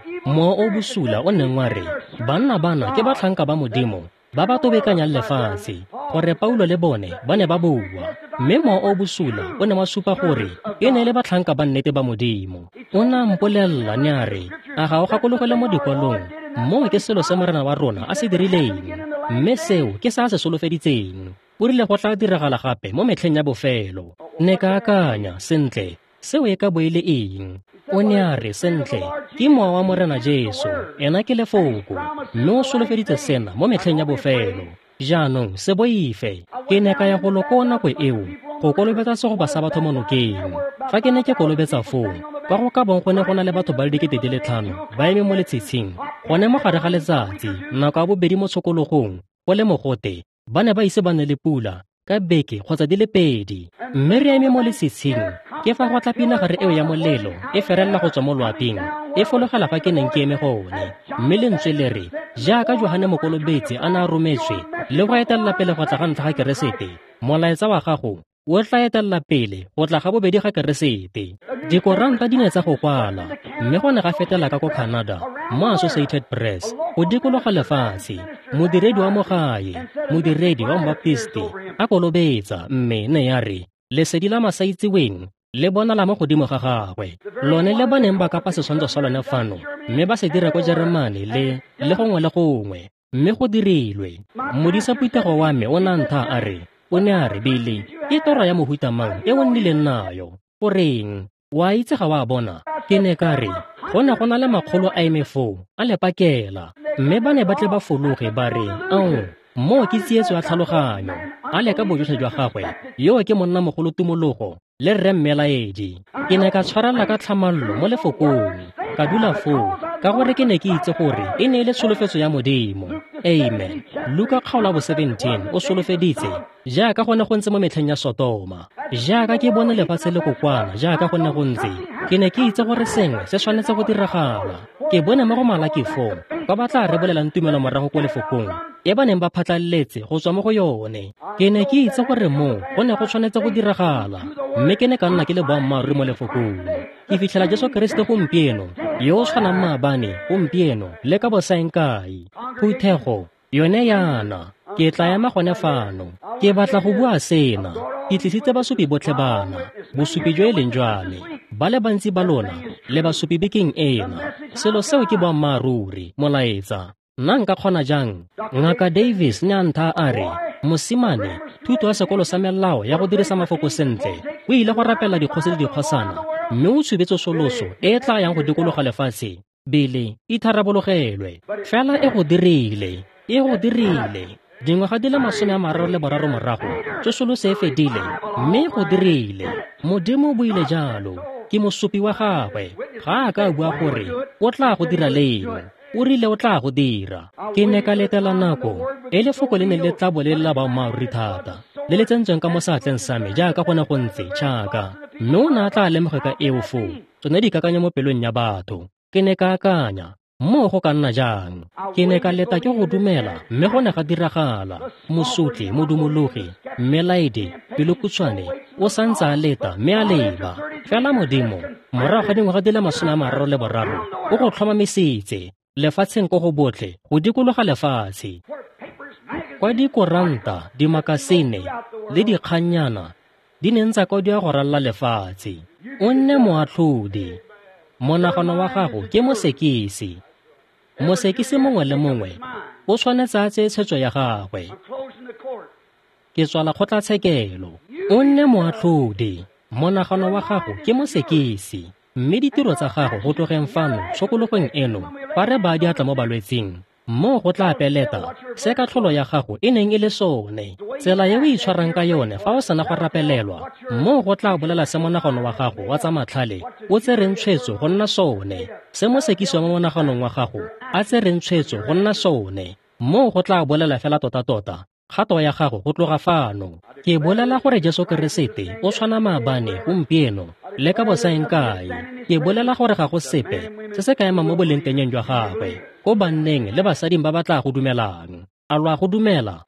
o bosula o neng wa re, banna bana ke batlhanka ba Modimo ba ba tobekanyang lefatshe, gore Paulo le bone ba ne ba bua. Mme mowa o bosula o ne wa supa gore e ne e le batlhanka ba nnete ba Modimo. O ne a mpolelela ne a re, a ga o gakologele mo dikwalong, moo ke selo se Morena wa rona a se dirileng, mme seo ke se a se solofeditseng. O rile go tla diragala gape mo metlheng ya bofelo. Ne ka akanya, sentle, seo e ka bo e le eng? O ne a re, sentle, ke mowa wa Morena Jesu, ena ke lefoko, mme o solofeditse sena mo metlheng ya bofelo. Jaanong se boife. Ke ne ka ya golo koo nako eo go kolobetsa segopa sa batho mo nokeng. Fa ke ne ke kolobetsa foo, kwa go ka bong go ne go na le batho ba le 5,000 ba eme mo letshitshing, gone mo gare ga letsatsi, nako ya bobedi mo tshokologong, go le mogote, ba ne ba ise ba nne le pula ka beke kgotsa di le pedi. Mme re eme mo letshitshing, ke fa go tla pinagare eo ya molelo e ferelela go tswa mo loaping, e fologela fa ke neng ke eme gone. Mme lentswe le re, jaaka Johane Mokolobetsi a ne a rometswe le go etelela pele go tla ga ntlha ga Keresete, molaetsa wa gago o tla etelela pele go tla ga bobedi ga Keresete. Dikoranta di ne tsa go kwala, mme go ne ga fetela ka ko Canada mo Associated Press go dikologa lefatshe. Modiredi wa mo gae, modiredi wa Mbaptisti a kolobetsa, mme ne ya re lesedi la masaitseweng le bonala mo godimo ga gagwe, lone le ba neng ba kapa setshwantsho sa lone fano mme ba se dira ko Jeremane le gongwe le gongwe, mme go dirilwe. Modisa phuthego wa me o ne a ntha a re, o ne a re, Billy, ke toro ya mohuta mang e o nnileng nayo? Goreng, wa itse ga wa bona? Ke ne ka re, go ne go na le makgolo a eme foo a le pakela, mme ba ne ba tle ba fologe ba re, ao, moo ke tsietso ya tlhaloganyo. A leka bojotlhe jwa gagwe, yo ke monnamogolo tumologo le rre mmelaedi. Ke ne ka tshwarela ka tlhamallo mo lefokong, ka dula foo, ka gore ke ne ke itse gore e ne e le tsholofetso ya Modimo. Amen. Luka kgaolo ya bo 17 o solofeditse, jaaka go ne go ntse mo metlheng ya Sotoma, jaaka ke bone lefatshe le kokwana, jaaka go ne go ntse, ke ne ke itse gore sengwe se tshwanetse go diragala. Ke bone mo go Malaki foo, ba ba tla rebolelang tumelo morago ko lefokong e ba neng ba phatlalletse go tswa mo go yone. Ke ne ke itse gore moo go ne go tshwanetse go diragala, mme ke ne ka nna ke le boammaaruri mo lefokong. Ke fitlhela Jesu Keresete gompieno, yo o tshwanang maabane, gompieno le ka bosaeng kae. Phuthego yone yana, ke tla ema gone fano. Ke batla go bua sena. Ke tlisitse basupi botlhe bana, bosupi jo e leng jwa me. Ba le bantsi ba lona le basupi bekeng ena. Selo seo ke boammaaruri, molaetsa. Nna nka kgona jang? Ngaka Davis ne a ntha a re, mosimane, thuto ya sekolo sa melao ya go dirisa mafoko sentle, o ile go rapela dikgosi le dikgosana, mme o tshube tsosoloso e e tla yang go dikologa lefatshe, Billy, itharabologelwe. Fela e go dirile, e go dirile. Dingwaga di le 33 morago, tsosoloso e fedile, mme go dirile. Modimo o buile jalo. Ke mosupi wa gagwe. Ga a ka a bua gore o tla go dira leng, o rile o tla go dira. Ke ne ka letela nako e lefoko le ne le tla bo le la boammaaruri thata, le le tsentsweng ka mo seatleng sa me jaaka go ne go ntse tšhaka, mme o ne a tla lemoge ka eo foo tsone dikakanyo mo pelong ya batho. Ke ne ka akanya, moo go ka nna jang? Ke ne ka leta ke go dumela, mme go ne ga diragala. Mosotli, modumologi, mmelaedi, pelokutshwane, o santse a leta mme a leba. Fela Modimo, morago ga dingwaga di le 33, o go tlhomamisitse lefatsheng ko go botlhe go dikologa lefatshe. Kwa dikoranta, dimakasine le dikgannyana di neng tsa kwadiwa go ralala lefatshe. O nne moatlhodi. Monagano wa gago ke mosekisi. Mosekisi mongwe le mongwe o tshwanetse a tseye tshwetso ya gagwe. Ke tswala kgotlatshekelo. O nne moatlhodi. Monagano wa gago ke mosekisi. Mme ditiro tsa gago go tlogeng fano tshokologong eno, fa re baya diatla mo balwetsing, moo go tla peleta se katlholo ya gago e neng e le sone. Tsela e o itshwarang ka yone fa o sena go rapelelwa, moo go tla bolela se monagano wa gago wa tsa matlhale o tsereng tshwetso go nna sone, se mosekisi wa mo monaganong wa gago a tsereng tshwetso go nna sone, moo go tla bolela fela tota-tota kgato ya gago go tloga fano. Ke bolela gore Jesu Keresete o tshwana maabane, gompieno le ka bosaeng kae. Ke bolela gore ga go sepe se se ka emang mo bolengtengeng jwa gagwe ko banneng le basading ba ba tla go dumelang. A lo a go dumela?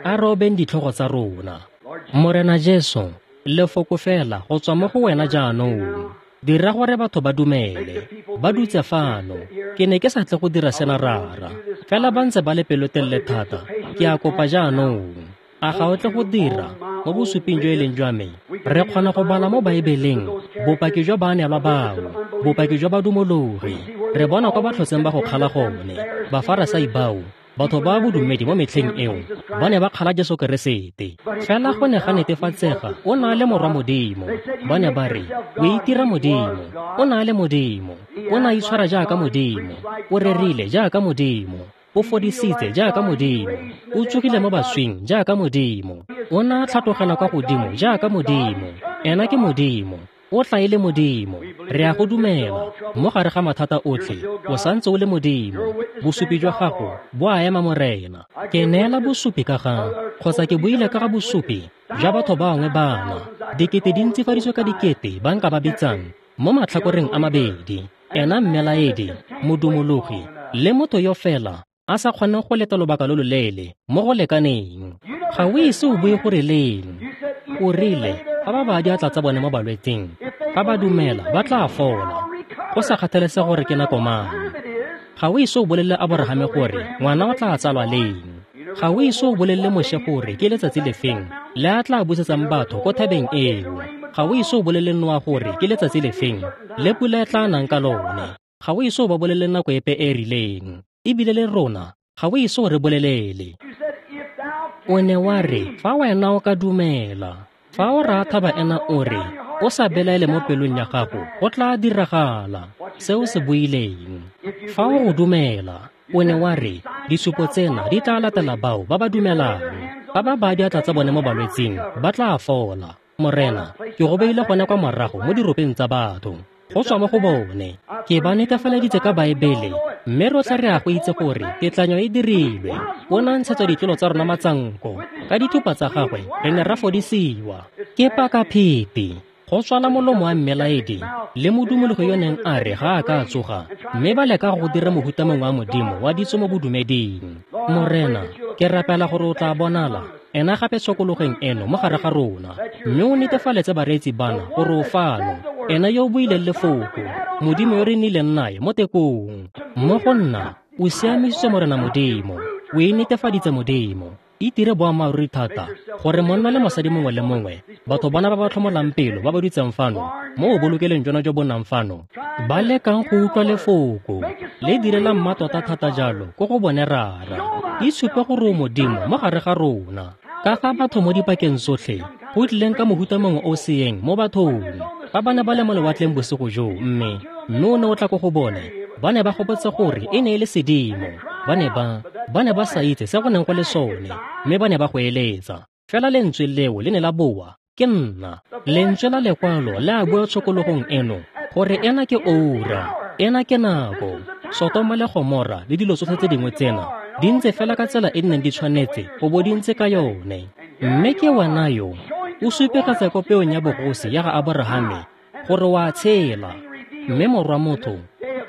A re obeng ditlhogo tsa rona. Morena Jesu, lefoko fela go tswa mo go wena jaanong. Dira gore batho ba dumele. Ba dutse fano. Ke ne ke sa tle go dira sena rara, fela ba ntse ba le pelotelele thata. Ke a kopa jaanong, a ga o tle go dira mo bosuping jo e leng jwa me? Re kgona go bala mo Baebeleng bopaki jwa baanelwa bao, bopaki jwa badumologi. Re bona kwa ba tlhotseng ba go kgala gone, Bafarasai bao, batho ba bodumedi mo metlheng eo, ba ne ba kgala Jesu Keresete. Fela go ne ga netefatsega o na le morwa Modimo. Ba ne ba re, o itira Modimo, o na le Modimo, o na itshwara jaaka Modimo, o rerile jaaka Modimo. O fodisitse jaaka Modimo. O tsogile mo baswing jaaka Modimo. O ne a tlhatlogela kwa godimo jaaka Modimo. Ena ke Modimo. O tla e le Modimo. Re a go dumela. Mo gare ga mathata otlhe, o santse o le Modimo. Bosupi jwa gago bo a ema, Morena. Ke neela bosupi ka ga, kgotsa ke buile ka ga bosupi jwa batho bangwe bana. Dikete di ntsifaditswe ka dikete ba nka ba bitsang mo matlhakoreng a mabedi. Ena mmelaedi, modumologi, le motho yo fela a sa kgoneng go leta lobaka lo loleele mo go lekaneng. Ga o ise o bue gore leng. O rile fa ba baya diatla tsa bone mo balwetsing, fa ba dumela ba tla fola, go sa kgathalesege gore ke nako mang. Ga o ise o bolelele Aborahame gore ngwana o tla tsalwa leng. Ga o ise o bolelele Moshe gore ke letsatsi lefeng le a tla busetsang batho ko thabeng eo. Ga o ise o bolelele Noa gore ke letsatsi lefeng le pula e tla nang ka lone. Ga o ise o ba bolelele nako epe e rileng. Ebile le rona ga o ise o re bolelele. O ne wa re fa wena o ka dumela, fa o raya thaba ena o re o sa belaele mo pelong ya gago, go tla diragala se o se buileng. Fa o go dumela, o ne wa re disupo tsena di tla latela bao ba ba dumelang. Fa ba baya diatla tsa bone mo balwetsing, ba tla fola. Morena, ke go beile gone kwa morago mo diropeng tsa batho. Go tswa mo go bone, ke ba netefaleditse ka Baebele, mme rotlhe re a go itse gore tetlanyo e dirilwe. O ne a ntshetsa ditlolo tsa rona matsanko, ka dithupa tsa gagwe re ne ra fodisiwa. Ke pakapheti, go tswala molomo wa mmelaedi le modumologi yo neng a re ga a ka a tsoga, mme ba leka go dira mohuta mongwe wa Modimo wa ditso mo bodumeding. Morena, ke rapela gore o tla bonala ena gape tshokologeng eno mo gare ga rona, mme o netefaletse bareetsi bana gore o fano, ena yo o buileng lefoko, Modimo yo re nnileng nae mo tekong. Mo go nna, o siamisitswe Morena Modimo, o e netefaditse Modimo. Itire boammaaruri thata gore monna le mosadi mongwe le mongwe, batho bana ba ba tlhomolang pelo ba ba dutseng fano mo o bolokeleng jona jo bo nnang fano, ba lekang go utlwa lefoko le direlang mmatota thata jalo ko go bone Rara. Itshupe gore o Modimo mo gare ga rona. Ka fa batho mo dipakeng tsotlhe go tlileng ka mohuta mongwe o seeng mo bathong. Fa ba ne ba le mo lewatleng bosigo joo, mme o ne o tla ko go bone, ba ne ba gopotse gore e ne e le sedimo. Ba ne ba sa itse se go neng go le sone, mme ba ne ba go eletsa. Fela lentswe leo le ne la boa, ke nna. Lentswe la lekwalo le a bua tshokologong eno gore ena ke oura, ena ke nako. Sotoma le Gomora le dilo tsotlhe tse dingwe tsena di ntse fela ka tsela e di neng di tshwanetse go bo di ntse ka yone. Mme ke wena yo o supegetsa ko peong ya bogosi ya ga Aborahame gore wa tshela, mme morwa motho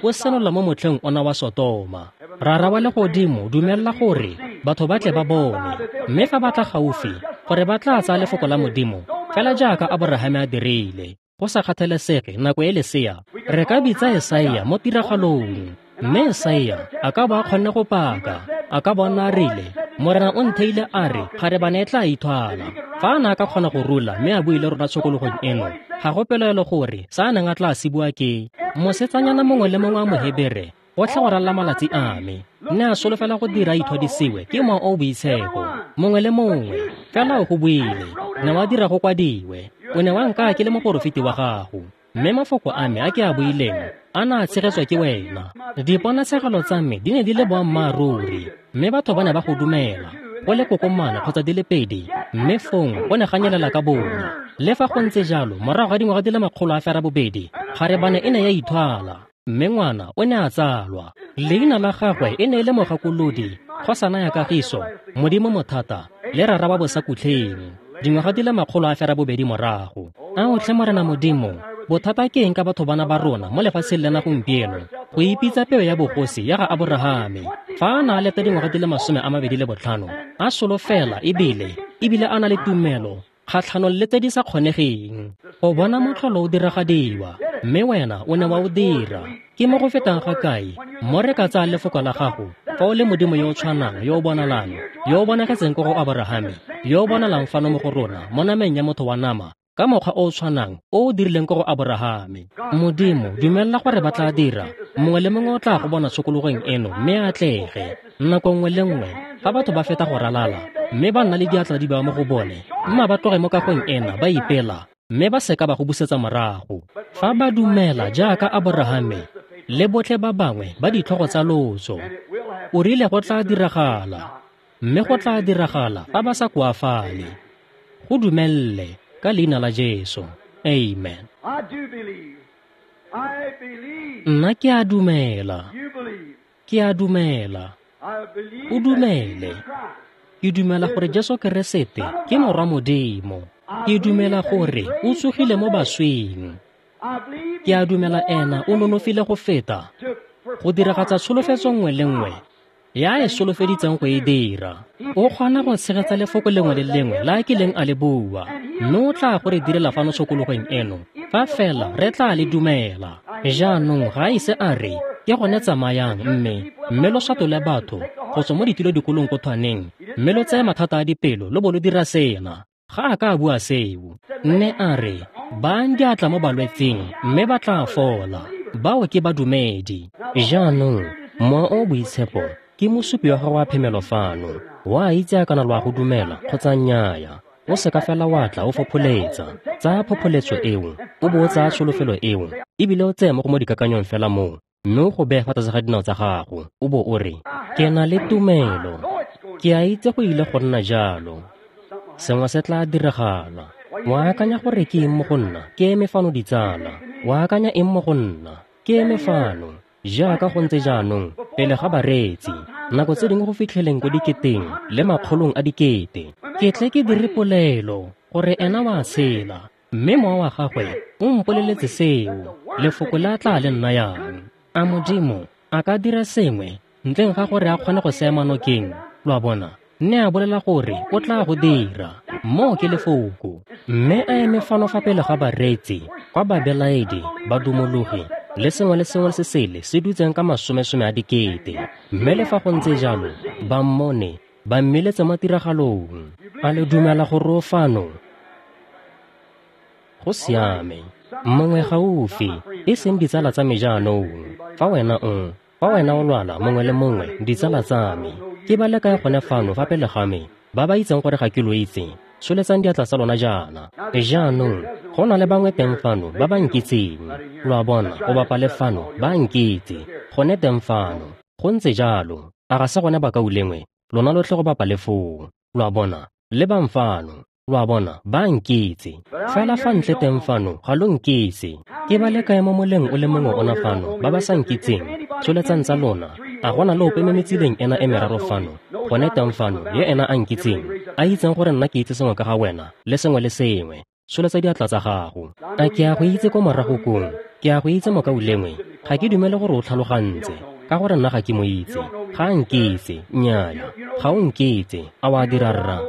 o senola mo motlheng ona wa Sotoma. Rara wa legodimo, dumella gore batho ba tle ba bone, mme fa ba tla gaufi gore ba tla tsaya lefoko la Modimo fela jaaka Aborahame a dirile. Go sa kgathalesege nako e lesea, re ka bitsa Esaia mo tiragalong, mme Esaia a ka bo a kgonne go paka, a ka bona a rile, Morena o ntheile a re kgarebane e tla ithwala. Fa a ne a ka kgona go rula mme a buile rona tshokologong eno, ga go pelaelo gore sa a neng a tla se bua ke mosetsanyana mongwe le mongwe wa Mohebere gotlhe go ralla malatsi a me, nne a solofela go dira ithwadisiwe ke mowa o o boitshepo. Mongwe le mongwe fela o go buile, ne wa dira go kwadiwe. O ne wa nka ke le moporofeti wa gago, mme mafoko a me a ke a buileng a na a tshegetswa ke wena. Diponatshegelo tsa me di ne di le boammaaruri, mme batho ba ne ba go dumela go le kokomana kgotsa di le pedi, mme fong go ne ga nyelela ka bonya. Le fa go ntse jalo, morago ga dingwaga di le 820, kgarebane e ne ya ithwala, mme ngwana o ne a tsalwa. Leina la gagwe e ne e le Mogakolodi, kgosana ya kagiso, Modimo mothata, le Rara wa bosakutlheng. Dingwaga di le 820 morago. Ao tlhe Morena Modimo, bothata ke eng ka batho bana ba rona mo lefatsheng lena gompieno go ipitsa peo ya bogosi ya ga Aborahame, fa a na a leta dingwaga di le 25 a solofela ebile a na le tumelo kgatlhanong le tse di sa kgonegeng go bona motlholo o diragadiwa, mme wena o ne wa o dira. Ke mo go fetang ga kae mo re ka tsaya lefoko la gago fa o le Modimo yo o tshwanang, yo o bonalang, yo o bonagetseng ko go Aborahame, yo o bonalang fano mo go rona mo nameng ya motho wa nama ka mokgwa o o tshwanang o o dirileng ko go Aborahame. Modimo, dumella gore ba tla dira, mongwe le mongwe o tla go bona tshokologong eno mme a atlege. Nako nngwe le nngwe fa batho ba feta go ralala mme ba nna le diatla di bewa mo go bone, mma ba tloge mo kagong ena ba ipela, mme ba seka ba go busetsa morago. Fa ba dumela jaaka Aborahame le botlhe ba bangwe ba ditlhogo tsa lotso, O rile go tla diragala, mme go tla diragala fa ba sa koafale. Go dumelle ka leina la Jesu. Amen. Nna ke a dumela. Ke a dumela. O dumele. Ke dumela gore Jesu Keresete ke Morwa Modimo. Ke dumela gore o tsogile mo baswing. Ke a dumela ena o nonofile go feta go diragatsa tsholofetso nngwe le nngwe ya e solofeditseng go e dira. O kgona go tshegetsa lefoko lengwe le lengwe la a kileng a le bua, mme o tla go re direla fano tshokologong eno fa fela re tla le dumela. Jaanong ga a ise a re ke gone tsamayang mme lo swatole batho go tswa mo ditilo dikolong ko thwaneng, mme lo tseye mathata a dipelo lo bo lo dira sena. Ga a ka a bua seo. Mme a re bayang diatla mo balwetseng mme ba tla fola. Bao ke badumedi. Jaanong Mowa o o Boitshepo ke mosupi wa gago wa phemelo fano. Wa itse a kana lo a go dumela kgotsa nnyaya. O seka fela wa tla o fopholetsa. Tsaya phopholetso eo, o bo o tsaya tsholofelo eo, ebile o tseye mo go mo dikakanyong fela moo, mme o go beye fa tlase ga dinao tsa gago, o bo o re, ke na le tumelo. Ke a itse go ile go nna jalo. Sengwe se tla diragala. Wa akanya gore ke eng mo go nna? Ke eme fano ditsala. Wa akanya eng mo go nna? Ke eme fano. Jaaka go ntse jaanong, pele ga bareetsi, nako tse dingwe go fitlheleng ko diketeng le makgolong a dikete. Ke tle ke dire polelo gore ena wa tshela, mme mowa wa gagwe o mpoleletse seo, lefoko le a tla le nnayang. A Modimo a ka dira sengwe ntleng ga gore a kgone go se ema nokeng? Lo a bona? Nne a bolela gore o tla go dira. Moo ke lefoko. Mme a eme fano fa pele ga bareetsi, kwa babelaedi, badumologi, le sengwe le sengwe se sele se dutseng ka masomesome a dikete. Mme le fa go ntse jalo, ba mmone, ba mmeletse mo tiragalong. A le dumela gore o fano? Go siame. Mongwe gaufi, e seng ditsala tsa me jaanong. Fa wena o lwala mongwe le mongwe, ditsala tsa me, ke ba le kae gone fano fa pele ga me, ba ba itseng gore ga ke lo itse, tsholetsang diatla tsa lona jaana. Jaanong, go na le bangwe teng fano ba ba nkitseng. Lo a bona, go bapa le fano, ba nkitse. Gone teng fano. Go ntse jalo. A ga se gone bakaulengwe, lona lotlhe go bapa le foo. Lo a bona, lebang fano. Lo a bona, ba nkitse. Fela fa ntle teng fano, ga lo nkitse. Ke ba le kae mo moleng o le mongwe ona fano, ba ba sa nkitseng? Tsholetsang tsa lona. A gona le ope mo metsileng ena e meraro fano, gone teng fano, ye ena a nkitseng, a itseng gore nna ke itse sengwe ka ga wena, le sengwe le sengwe. Tsholetsa diatla tsa gago. A ke a go itse ko morago kong? Ke a go itse mokaulengwe. Ga ke dumele gore o tlhalogantse, ka gore nna ga ke mo itse. Ga a nkitse, nnyaya. Ga o nkitse, a wa dira rra?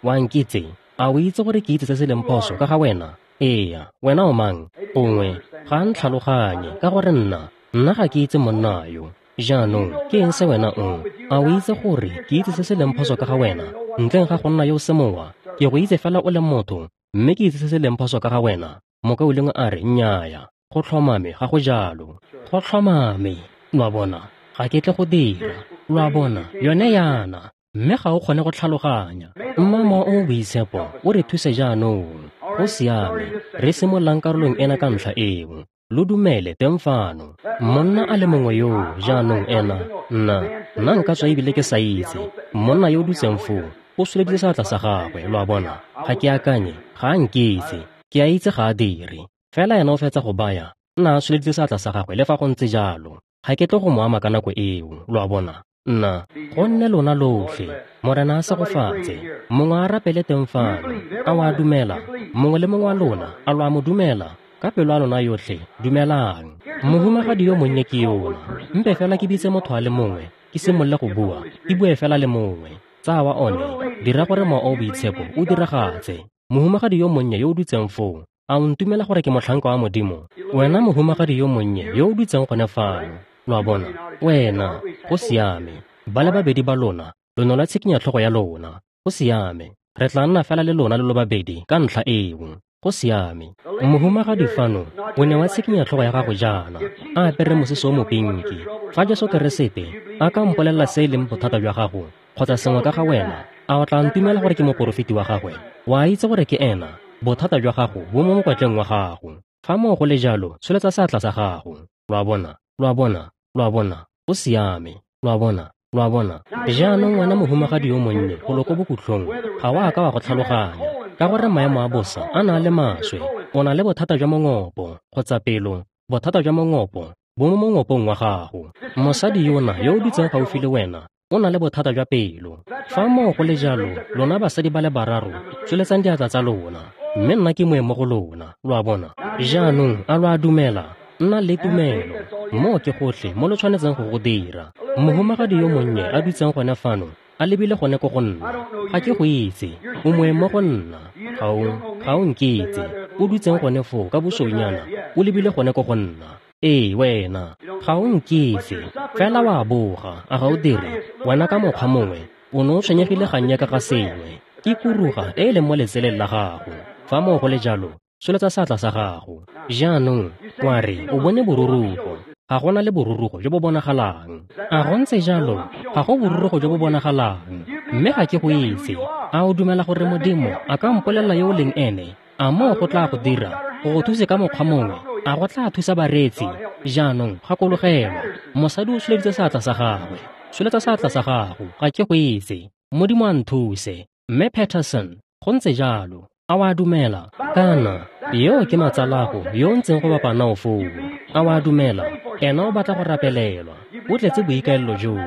Wa nkitse? A o itse gore ke itse se se leng phoso ka ga wena? Eya, wena o mang? Gongwe ga a ntlhaloganye, ka gore nna ga ke itse monna yo. Jaanong, ke eng se wena o? A o itse gore ke itse se se leng phoso ka ga wena? Ntleng ga go nna yo o semowa, ke go itse fela o le motho, mme ke itse se se leng phoso ka ga wena. Mokaulengwe a re, nnyaya, go tlhomame ga go jalo. Go tlhomame. Lo a bona, ga ke tle go dira. Lo a bona, yone yana, mme ga o kgone go tlhaloganya. Mma Mowa o o Boitshepo o re thuse jaanong. Go siame, re simololang karolong ena ka ntlha eo. Lo dumele teng fano. Monna a le mongwe yo jaanong ena, nna nka tswa ebile ke sa itse. Monna yo o dutseng foo, o tsholeditse seatla sa gagwe, lo a bona. Ga ke akanye, ga a nkitse. Ke a itse ga a dire. Fela ena o fetsa go baya, nna a tsholeditse seatla sa gagwe le fa go ntse jalo. Ga ke tle go mo ama ka nako eo, lo a bona. Nna, go nne lona lotlhe, Morena a segofatse. Mongwe a rapele teng fano. A wa dumela? Mongwe le mongwe wa lona, a lo a mo dumela? Ka pelo a lona yotlhe, dumelang. Mohumagadi yo monnye ke yona. Mpe fela ke bitse motho a le mongwe, ke simolole go bua, ke bue fela le mongwe. Tsaya wa one, dira gore Mowa o o Boitshepo o diragatse. Mohumagadi yo monnye yo o dutseng foo, a o ntumela gore ke motlhanka wa Modimo? Wena mohumagadi yo monnye yo o dutseng gone fano, lo a bona, wena, go siame. Ba le babedi ba lona, lo ne lwa tshikinya tlhogo ya lona. Go siame. Re tla nna fela le lona le lo babedi ka ntlha eo. Go siame. Mohumagadi fano, o ne wa tshikinya tlhogo ya gago jaana, a apere mosese o mopinki. Fa Jesu Keresete a ka mpolelela se e leng bothata jwa gago, kgotsa sengwe ka ga wena, a o tla ntumela gore ke moporofeti wa gagwe? Wa itse gore ke ena, bothata jwa gago bo mo mokwatleng wa gago. Fa moo go le jalo, tsholetsa seatla sa gago. Lo a bona, lo a bona, lo a bona, go siame. Lo a bona? Lo a bona? Jaanong wena mohumagadi yo monnye golo ko bokhutlong, ga o a ka wa go tlhaloganya, ka gore maemo a bosa a na le maswe. O na le bothata jwa mongopo kgotsa pelo, bothata jwa mongopo bo mo mongopong wa gago. Mosadi yona yo o dutseng gaufi le wena o na le bothata jwa pelo. Fa moo go le jalo, lona basadi ba le bararo, tsweletsang diatla tsa lona, mme nna ke moeng mo go lona. Lo a bona? Jaanong a lo a dumela? Nna le tumelo. Moo ke gotlhe mo lo tshwanetseng go go dira. Mohumagadi yo monnye a dutseng gone fano, a lebile gone ko go nna. Ga ke go itse. O moeng mo go nna. Ga o nkitse. O dutseng gone foo ka bosweunyana, o lebile gone ko go nna. Ee, wena. Ga o nkitse. Fela wa boga, a ga o dire? Wena ka mokgwa mongwe, o ne o tshwenyegile gannye ka ga sengwe. Ke kuruga e e leng mo letseleng la gago. Fa moo go le jalo, tsholetsa seatla sa gago. Jaanong, wa re, o bone borurugo. Ga gona le borurugo jo bo bonagalang. A go ntse jalo? Ga go borurugo jo bo bonagalang. Mme ga ke go itse. A o dumela gore Modimo a ka mpolelela yo o leng ene? A moo go tla go dira go go thuse ka mokgwa mongwe? A go tla thusa bareetsi? Jaanong gakologelwa, mosadi o tsholeditse seatla sa gagwe. Tsholetsa seatla sa gago. Ga ke go itse. Modimo a nthuse. Mme Patterson, go ntse jalo. A wa dumela? Kana, yo ke matsalago yo o ntseng go bapa nao foo. A wa dumela? Ena o batla go rapelelwa. O tletse boikaelelo joo.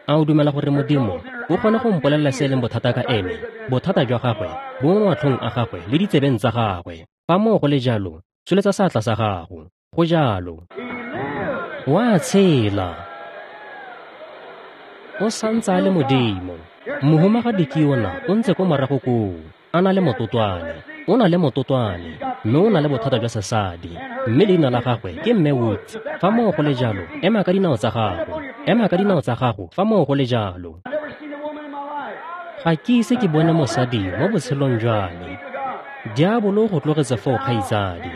A o dumela gore Modimo o kgone go mpolelela se e leng bothata ka ene? Bothata jwa gagwe bo mo matlhong a gagwe le ditsebeng tsa gagwe. Fa moo go le jalo, tsholetsa seatla sa gago. Go jalo. Wa tshela. O santse a le Modimo. Mohumagadi ke yona o ntse ko morago koo, a na le mototwane. O na le mototwane, mme o na le bothata jwa sesadi. Mme leina la gagwe ke Mme Woods. Fa moo go le jalo, ema ka dinao tsa gago. Ema ka dinao tsa gago fa moo go le jalo. Ga ke ise ke bone mosadi mo botshelong jwa me. Diabolo go tlogetse foo, kgaitsadi.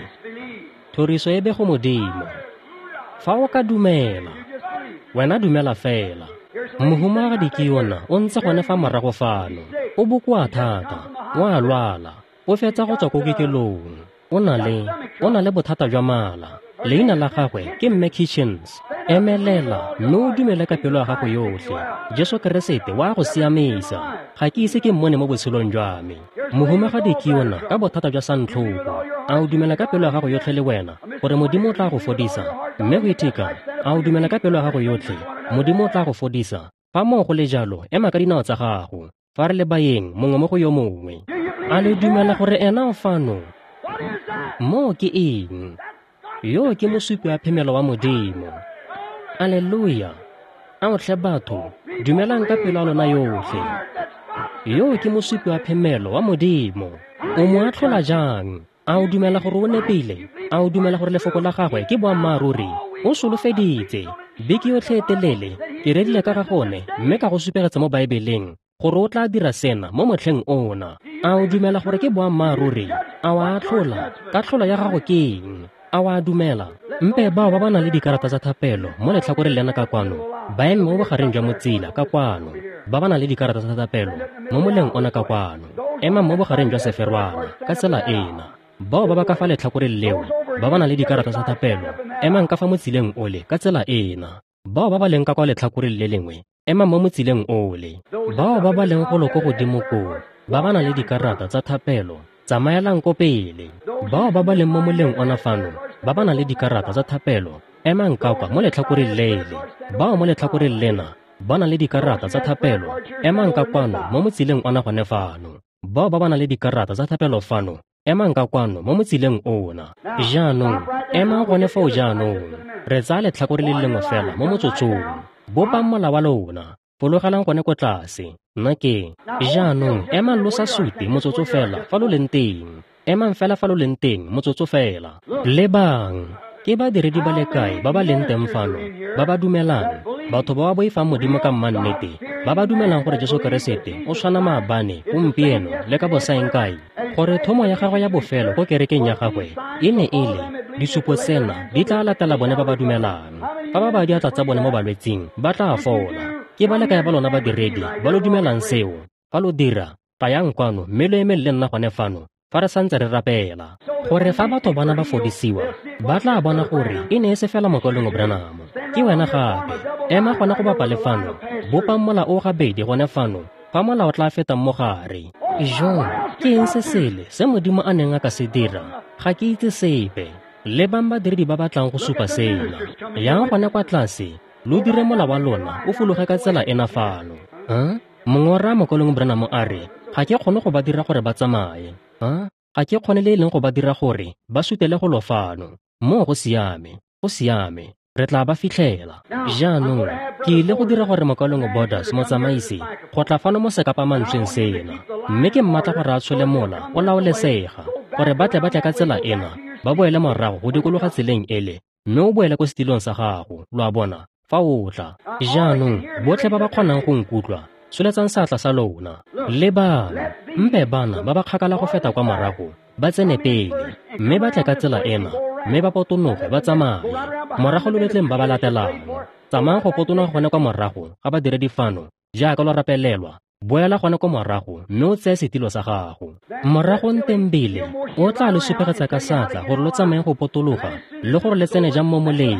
Thoriso e be go Modimo. Fa o ka dumela, wena dumela fela. Mohumagadi ke yona o ntse gone fa morago fano. O bokoa thata, o a lwala, o fetsa go tswa ko kokelong. O na le bothata jwa mala. Leina la gagwe ke Mme Kitchens. Emelela mme o dumele ka pelo ya gago yotlhe. Jesu Keresete wa go siamisa. Ga ke ise ke mmone mo botshelong jwa me. Mohumagadi ke yona ka bothata jwa santlhoko. A o dumela ka pelo ya gago yotlhe le wena gore Modimo o tla go fodisa? Mme Whittaker, a o dumela ka pelo ya gago yotlhe Modimo o tla go fodisa? Fa moo go le jalo, ema ka dinao tsa gago. Fa re le baeng mongwe mo go yo mongwe. A le dumela gore ena o fano? Moo ke eng? Yo ke mosupi wa phemelo wa Modimo. Alleluia. A otlhe batho, dumelang ka pelo ya lona yotlhe. Yo ke mosupi wa phemelo wa Modimo. O mo atlhola jang? A o dumela gore o nepile? A o dumela gore lefoko la gagwe ke boammaaruri? O solofeditse. Beke yotlhe e telele, ke rerile ka ga gone, mme ka go supegetsa mo Baebeleng gore o tla dira sena mo motlheng ona. A o dumela gore ke boammaaruri? A o atlhola? Katlholo ya gago ke eng? A wa dumela? Mpe bao ba ba nang le dikarata tsa thapelo mo letlhakoreng lena ka kwano, ba eme mo bogareng jwa motsila ka kwano. Ba ba nang le dikarata tsa thapelo mo moleng ona ka kwano, ema mo bogareng jwa seferwana ka tsela ena. Bao ba ba ka fa letlhakoreng leo, ba ba nang le dikarata tsa thapelo, emang ka fa motsileng ole ka tsela ena. Bao ba ba leng ka kwa letlhakoreng le lengwe, emang mo motsileng ole. Bao ba ba leng golo ko godimo koo, ba ba nang le dikarata tsa thapelo, tsamaelang ko pele. Bao ba ba leng mo moleng ona fano, ba ba nang le dikarata tsa thapelo, emang ka kwa mo letlhakoreng lele. Bao mo letlhakoreng lena, ba nang le dikarata tsa thapelo, emang ka kwano mo motsileng ona gone fano. Bao ba ba nang le dikarata tsa thapelo fano, emang ka kwano mo motsileng ona. Jaanong, emang gone foo jaanong. Re tsaya letlhakore le lengwe fela mo motsotsong. Bopang mola wa lona. Fologelang gone ko tlase. Nna ke. Jaanong, emang lo sa sute motsotso fela fa lo leng teng. Emang fela fa lo leng teng motsotso fela. Lebang, ke badiredi ba le kae ba ba leng teng fano, ba ba dumelang, batho ba ba boifang Modimo ka mmannete, ba ba dumelang gore Jesu Keresete o tshwana maabane, gompieno le ka bosaeng kae, gore thomo ya gagwe ya bofelo ko kerekeng ya gagwe e ne e le disupo tsena di tla latela bone ba ba dumelang. Fa ba ba diatla tsa bone mo balwetsing, ba tla fola. Ke ba le kae ba lona badiredi ba lo dumelang seo? Fa lo dira, tlayang kwano mme lo emeng le nna gone fano fa re santse re rapela. Gore fa batho bana ba fodisiwa, ba tla bona gore e ne e se fela mokwalong Branham. Ke wena gape. Ema gone go bapa le fano, bopang mola o gabedi gone fano, fa mola o tla fetang mo gare. Jo, ke eng se sele se Modimo a neng a ka se dira? Ga ke itse sepe. Lebang badiredi ba batlang go supa sena. Yang gone kwa tlase, lo dire mola wa lona o fologe ka tsela ena fano. Mongwe wa rra mokolong Branham a re, ga ke kgone go ba dira gore ba tsamaye. Ga ke kgone le e leng go ba dira gore ba sutele go lo fano. Moo go siame, go siame. Re tla ba fitlhela. Jaanong, ke ile go dira gore mokalong Borders motsamaisi go tla fano mo sekapamantsweng sena. Mme ke mmatla gore a tshole mola o laolesega, gore ba tle ba tle ka tsela ena, ba boele morago go dikologa tseleng ele, mme o boele ko setilong sa gago, lo a bona, fa o tla. Jaanong, botlhe ba ba kgonang go nkutlwa, tsholetsang seatla sa lona. Lebang, mpe bana ba ba kgakala go feta kwa morago, ba tsene pele, mme ba tle ka tsela ena, mme ba potonoge ba tsamaye. Morago lo letleng ba ba latelang. Tsamayang go potonoga gone kwa morago ga badiredi fano, jaaka lo rapelelwa. Boela gone kwa morago mme o tseye setilo sa gago. Morago ntembele o tla lo supegetsa ka seatla gore lo tsamaye go potologa le gore le tsene jang mo moleng.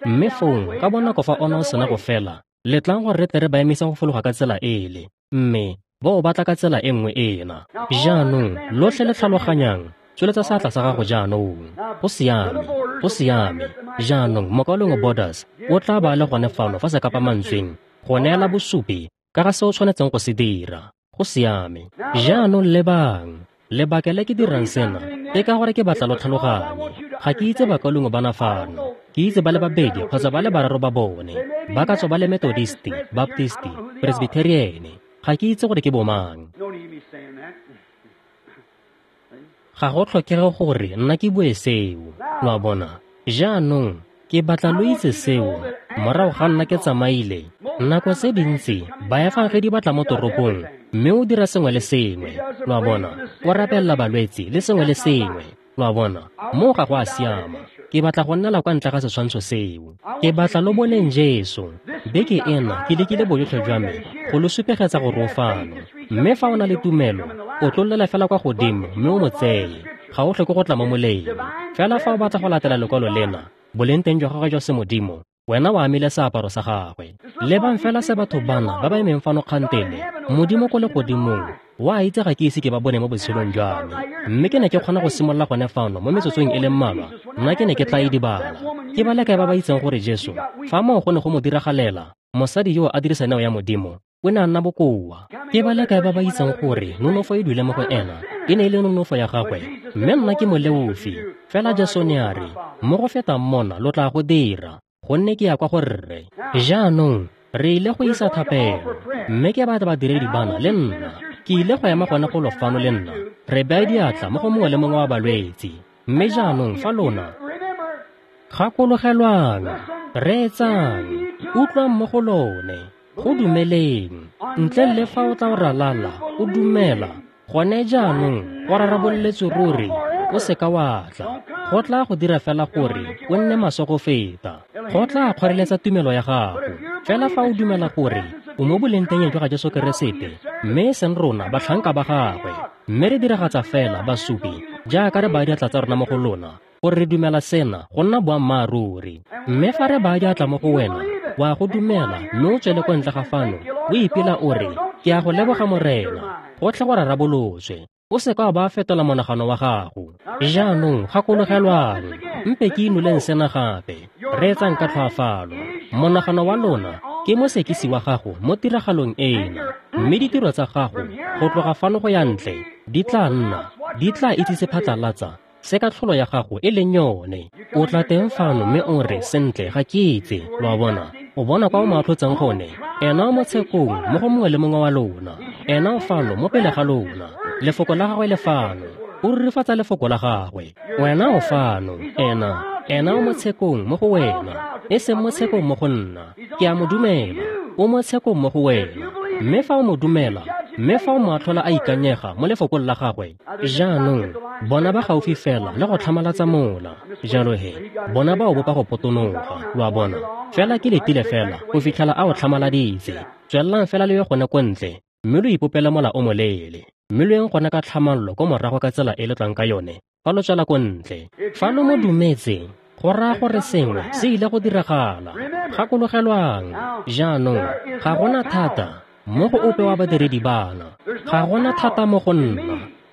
Mme fong ka bonako fa ona o sena go fela, letlang gore re tle re ba emisa go fologa ka tsela ele, mme ba o batla ka tsela e nngwe ena. Jaanong lotlhe le tlhaloganyang, tsholetsa seatla sa gago jaanong. Go siame, go siame. Jaanong mokalong Borders o tla ba le gone fano fa sekapamantsweng go neela bosupi ka ga se o tshwanetseng go se dira. Go siame. Jaanong lebang, lebaka le ke dirang sena ke ka gore ke batla lo tlhaloganye. Ga ke itse bakalong bana fano. Ke itse ba le babedi kgotsa ba le bararo ba bone. Ba ka tswa ba le Methodisti, Baptisti, Presbyterian. Ga ke itse gore ke bomang. Ga go tlhokege gore nna ke bue seo, lo a bona. Jaanong ke batla lo itse seo. Morago ga nna ke tsamaile, nako tse dintsi baefangedi ba tla mo toropong mme o dira sengwe le sengwe, lo a bona. O rapelela balwetse le sengwe le sengwe, lo a bona. Moo ga go a siama. Ke batla go nnela kwa ntle ga setshwantsho seo. Ke batla lo boneng Jesu. Beke ena ke lekile bojotlhe jwa me go lo supegetsa gore o fano. Mme fa o na le tumelo, o tlollela fela kwa godimo mme o mo tseye. Ga o tlhoke go tla mo moleng. Fela fa o batla go latela lekwalo lena, boleng teng jwa gagwe jwa semodimo, wena o amile seaparo sa gagwe. Lebang fela se batho bana ba ba emeng fano kgantele, Modimo ko legodimong wa itse ga ke ise ke ba bone mo botshelong jwa me. Mme ke ne ke kgona go simolola gone fano mo metsotsong e le mmalwa, nna ke ne ke tla idibala. Ke ba le kae ba ba itseng gore Jesu, fa moo go ne go mo diragalela, mosadi yo a dirisa neo ya Modimo, o ne a nna bokoa. Ke ba le kae ba ba itseng gore nonofo e dule mo go ena, e ne e le nonofo ya gagwe, mme nna ke moleofi. Fela Jesu ne a re, mo go fetang mona lo tla go dira, gonne ke ya kwa go Rre. Jaanong re ile go isa thapelo, mme ke batla badiredi bana le nna. Ke ile go ema gone go lo fano le nna, re baya diatla mo go mongwe le mongwe wa balwetse. Mme jaanong fa lona gakologelwang, reetsang, utlwang mo go lone, go dumeleng. Ntle le fa o tla o ralala, o dumela, gone jaanong go raraboletswe ruri, o seka wa tla. Go tla go dira fela gore o nne maswe go feta. Go tla kgoreletsa tumelo ya gago. Fela fa o dumela gore o mo boleng teng jwa ga Jesu Keresete, mme e seng rona batlhanka ba gagwe, mme re diragatsa fela basupi jaaka re baya diatla tsa rona mo go lona, gore re dumela sena go nna boammaaruri. Mme fa re baya diatla mo go wena, wa go dumela mme o tswele kwa ntle ga fano, o ipela o re, ke a go leboga Morena, gotlhe go rarabolotswe. O seka wa ba fetola monagano wa gago. Jaanong gakologelwang, mpe ke inoleng sena gape. Reetsang ka tlhoafalo. Monagano wa lona ke mosekisi wa gago mo tiragalong ena, mme ditiro tsa gago go tloga fano go ya ntle di tla nna, di tla itsise phatlalatsa se ka tlholo ya gago e leng yone. O tla teng fano mme o re, sentle ga ke itse, lo a bona. O bona kwa o mo atlhotseng gone. Ena o mo tshekong mo go mongwe le mongwe wa lona. Ena o fano mo pele ga lona. Lefoko la gagwe le fano. O rurifatsa lefoko la gagwe. Wena o fano. Ena o mo tshekong mo go wena, e seng mo tshekong mo go nna. Ke a mo dumela. O mo tshekong mo go wena. Mme fa o mo dumela, mme fa o mo atlhola a ikanyega mo lefokong la gagwe, jaanong bona ba gaufi fela le go tlhamalatsa mola. Jalo he, bona ba o bopa go potonoga, lo a bona. Fela ke letile fela go fitlhela a o tlhamaladitse. Tswelelang fela le ye gone ko ntle, mme lo ipopele mola o moleele. Mme lo yeng gone ka tlhamallo ko morago ka tsela e le tlang ka yone, fa lo tswela ko ntle. Fa lo mo dumetse, Go raya gore sengwe se ile go diragala. Gakologelwang, jaanong ga gona thata mo go ope wa badiredi bana. Ga gona thata mo go nna.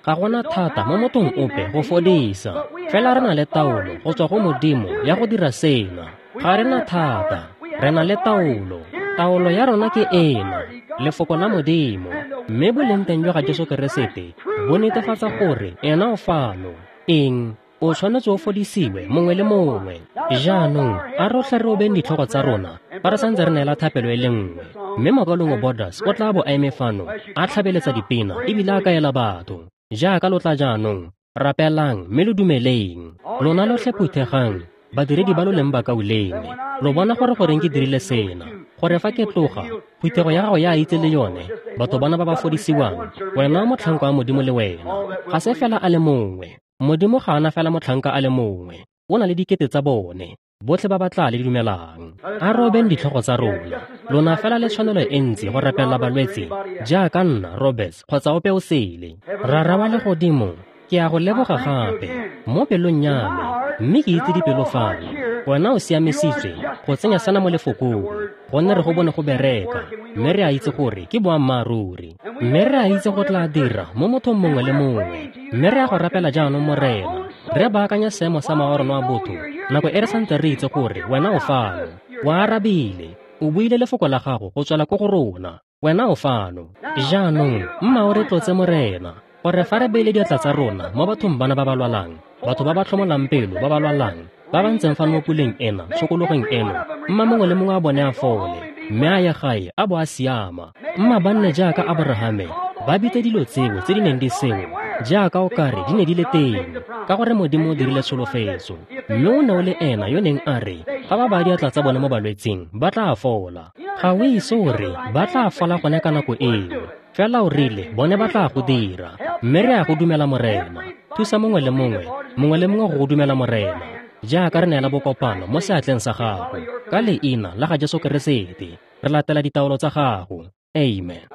Ga gona thata mo mothong ope go fodisa. Fela re na le taolo go tswa go Modimo ya go dira sena. Ga re na thata, re na le taolo. Taolo ya rona ke ena, lefoko la Modimo. Mme boleng teng jwa ga Jesu Keresete bo netefatsa gore ena o fano. Eng? O tshwanetse o fodisiwe mongwe le mongwe. Jaanong a rotlhe re obeng ditlhogo tsa rona fa re santse re neela thapelo e le nngwe. Mme mokaulengwe Borders o tla bo a eme fano a tlhabeletsa dipina ebile a kaela batho. Jaaka lo tla jaanong, rapelang mme lo dumeleng. Lona lotlhe phuthegang, badiredi ba lo leng bakaulengwe. Lo bona gore goreng ke dirile sena, gore fa ke tloga, phuthego ya gago ya itse le yone, batho bana ba ba fodisiwang, wena motlhanka wa Modimo le wena. Ga se fela a le mongwe. Modimo ga ana fela motlhanka a le mongwe, o na le dikete tsa bone, botlhe ba ba tla le dumelang. A robeng ditlhogo tsa rona. Lona fela le tshwanelo e ntsi go rapella balwetse jaaka nna, Roberts, kgotsa ope o sele. Rara wa legodimo, ke a go leboga gape mo pelong ya me, mme ke itse dipelo fano. Wena o siamisitswe go tsenya sena mo lefokong, gonne re go bone go bereka, mme re a itse gore ke boammaaruri. Mme re a itse go tla dira mo mothong mongwe le mongwe. Mme re a go rapela jaanong, Morena, re baakanya seemo sa mowa wa rona wa botho nako e re santse re itse gore wena o fano. O arabile, o buile lefoko la gago go tswela ko go rona. Wena o fano. Jaanong mma o re tlotse, Morena, gore fa re beile diatla tsa rona mo bathong bana ba ba lwalang, batho ba ba tlhomolang pelo ba ba lwalang, ba ba ntseng fano mo puleng ena, tshokologong eno, mma mongwe le mongwe a bone a fole, mme a ye gae a bo a siama. Mma ba nne jaaka Aborahame, ba bitse dilo tseo tse di neng di seo jaaka o kare di ne di le teng, ka gore Modimo o dirile tsholofetso. Mme o ne o le ena yo neng a re fa ba baya diatla tsa bone mo balwetseng ba tla fola. Ga o ise o re ba tla fola gone ka nako eo, fela o rile bone ba tla go dira. Mme re a go dumela, Morena. Thusa mongwe le mongwe, mongwe le mongwe go go dumela, Morena, jaaka re neela bokopano mo seatleng sa gago. Ka leina la ga Jesu Keresete re latela ditaolo tsa gago. Amen.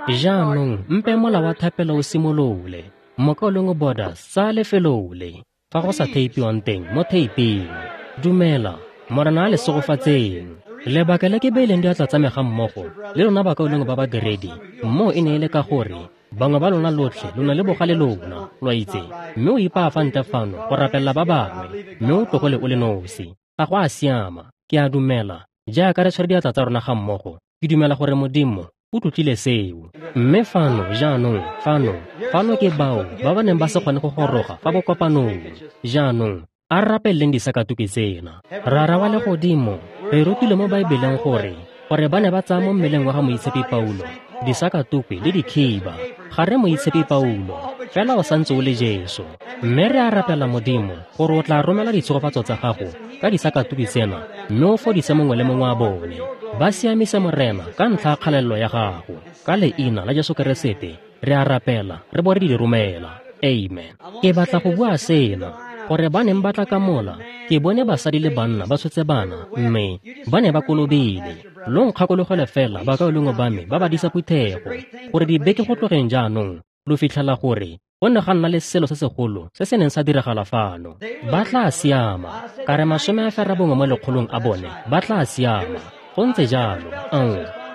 Jaanong mpe mola wa thapelo o simolole. Mokaulengwe Borders, tsaya lefelo le fa go sa theipiwang teng mo theiping. Dumela, Morena a le segofatseng. Lebaka le ke beileng diatla tsa me ga mmogo le lona bakaulengwe ba badiredi moo e ne e le ka gore bangwe ba lona lotlhe lo na le bogale lona, lo a itse, mme o ipaa fa ntle fano go rapelela ba bangwe, mme o tlogole o le nosi. Ga go a siama. Ke a dumela, jaaka re tshwere diatla tsa rona ga mmogo, ke dumela gore Modimo o tlotlile seo. Mme fano jaanong, fano ke bao ba ba neng ba se kgone go goroga fa bokopanong. Jaanong a re rapeleleng disakatuki tsena. Rara wa legodimo, re rutile mo Baebeleng gore ba ne ba tsaya mo mmeleng wa ga Moitshepi Paulo disakatukwi le dikhiba. Ga re Moitshepi Paulo, fela o santse o le Jesu. Mme re a rapela, Modimo, gore o tla romela ditshegofatso tsa gago ka disakatuki tsena, mme o fodise mongwe le mongwe wa bone. Ba siamise, Morena, ka ntlha ya kgalalelo ya gago. Ka leina la Jesu Keresete re a rapela, re bo re di romela. Amen. Ke batla go bua sena, gore ba neng ba tla ka mola, ke bone basadi le banna ba tshotse bana, mme ba ne ba kolobile. Lo nkgakologele fela bakaulengwe ba me ba ba disa phuthego, gore dibeke go tlogeng jaanong lo fitlhela gore go ne ga nna le selo se segolo se se neng sa diragala fano. Ba tla siama, ka re 91% a bone ba tla siama. Go ntse jalo.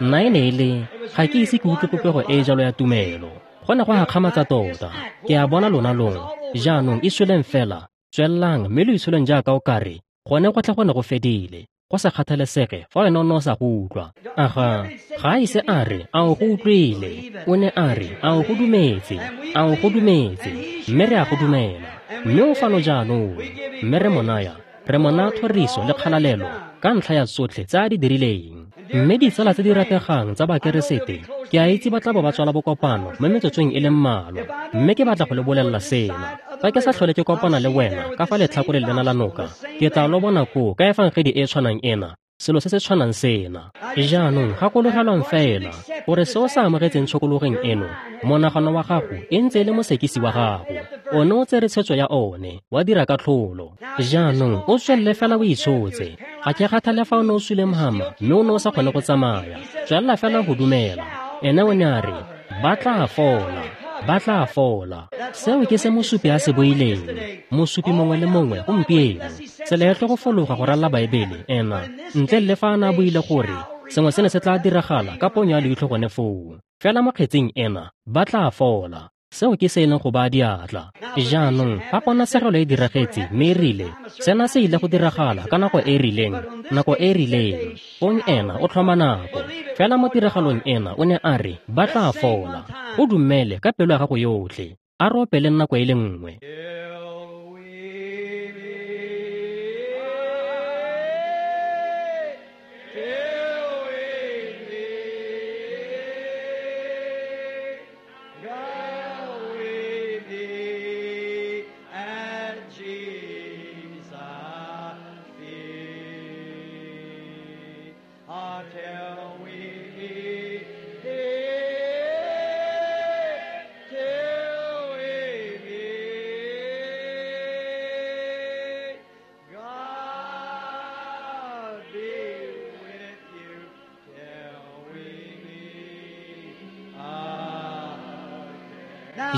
Nna e ne e le ga ke ise ke utlwe popego e jalo ya tumelo. Go ne go gakgamatsa tota. Ke a bona lona long. Jaanong itsholeng fela, tswelelang mme lo itsholeng jaaka o kare gone go tla go ne go fedile, go sa kgathalesege fa wena o ne o sa go utlwa. Aga, ga a ise a re a o go utlwile, o ne a re a o go dumetse, a o go dumetse, mme re a go dumela. Mme o fano jaanong, mme re mo naya thoriso le kgalalelo ka ntlha ya tsotlhe tse a di dirileng. Mme ditsala tse di rategang tsa Bakeresete, ke a itse ba tla bo ba tswala bokopano mo metsotsong e le mmalwa, mme ke batla go le bolelela sena. Fa ke sa tlhole ke kopana le wena ka fa letlhakoreng lena la noka, ke tla lo bona koo ka efangedi e tshwanang ena, selo se se tshwanang sena. Jaanong gakologelwang fela gore se o sa amogetseng tshokologeng eno, monagano wa gago e ntse e le mosekisi wa gago. O ne o tsere tshwetso ya one, wa dira katlholo. Jaanong o tswelele fela o itshotse. Ga ke kgathale fa o ne o sule mhama mme o ne o sa kgone go tsamaya. Tswelela fela go dumela. Ene o ne a re ba tla fola. Ba tla fola. Seo ke se mosupi a se buileng. Mosupi mongwe le mongwe gompieno. Tsela e tlo go fologa go ralla Baebele ena ntle le fa a ne a buile gore sengwe se ne se tla diragala ka ponyo ya leitlho gone foo. Fela mo kgetsing ena ba tla fola. Seo ke se e leng go baya diatla. Jaanong fa ponatshegelo e diragetse mme e rile sena se ile go diragala ka nako e e rileng, nako e e rileng, fong ena o tlhoma nako. Fela mo tiragalong ena o ne a re ba tla fola. O dumele ka pelo ya gago yotlhe. A re opeleng nako e le nngwe.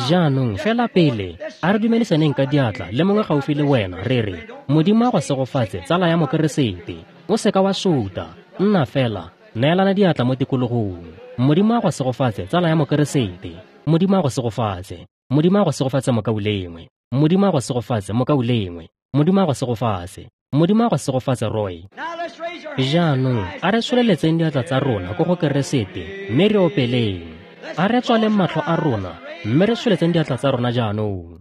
Jaanong fela pele a re dumelisaneng ka diatla le mongwe gaufi le wena re re Modimo a go segofatse tsala ya Mokeresete. O seka wa suta, nna fela, neelana diatla mo tikologong. Modimo a go segofatse tsala ya Mokeresete. Modimo a go segofatse. Modimo a go segofatse mokaulengwe. Modimo a go segofatse mokaulengwe. Modimo a go segofatse. Modimo a go segofatse Roy. Jaanong a re tsholeletseng diatla tsa rona ko go Keresete mme re opeleng. A re tswaleng matlho a rona mme re tsholetseng diatla tsa rona jaanong.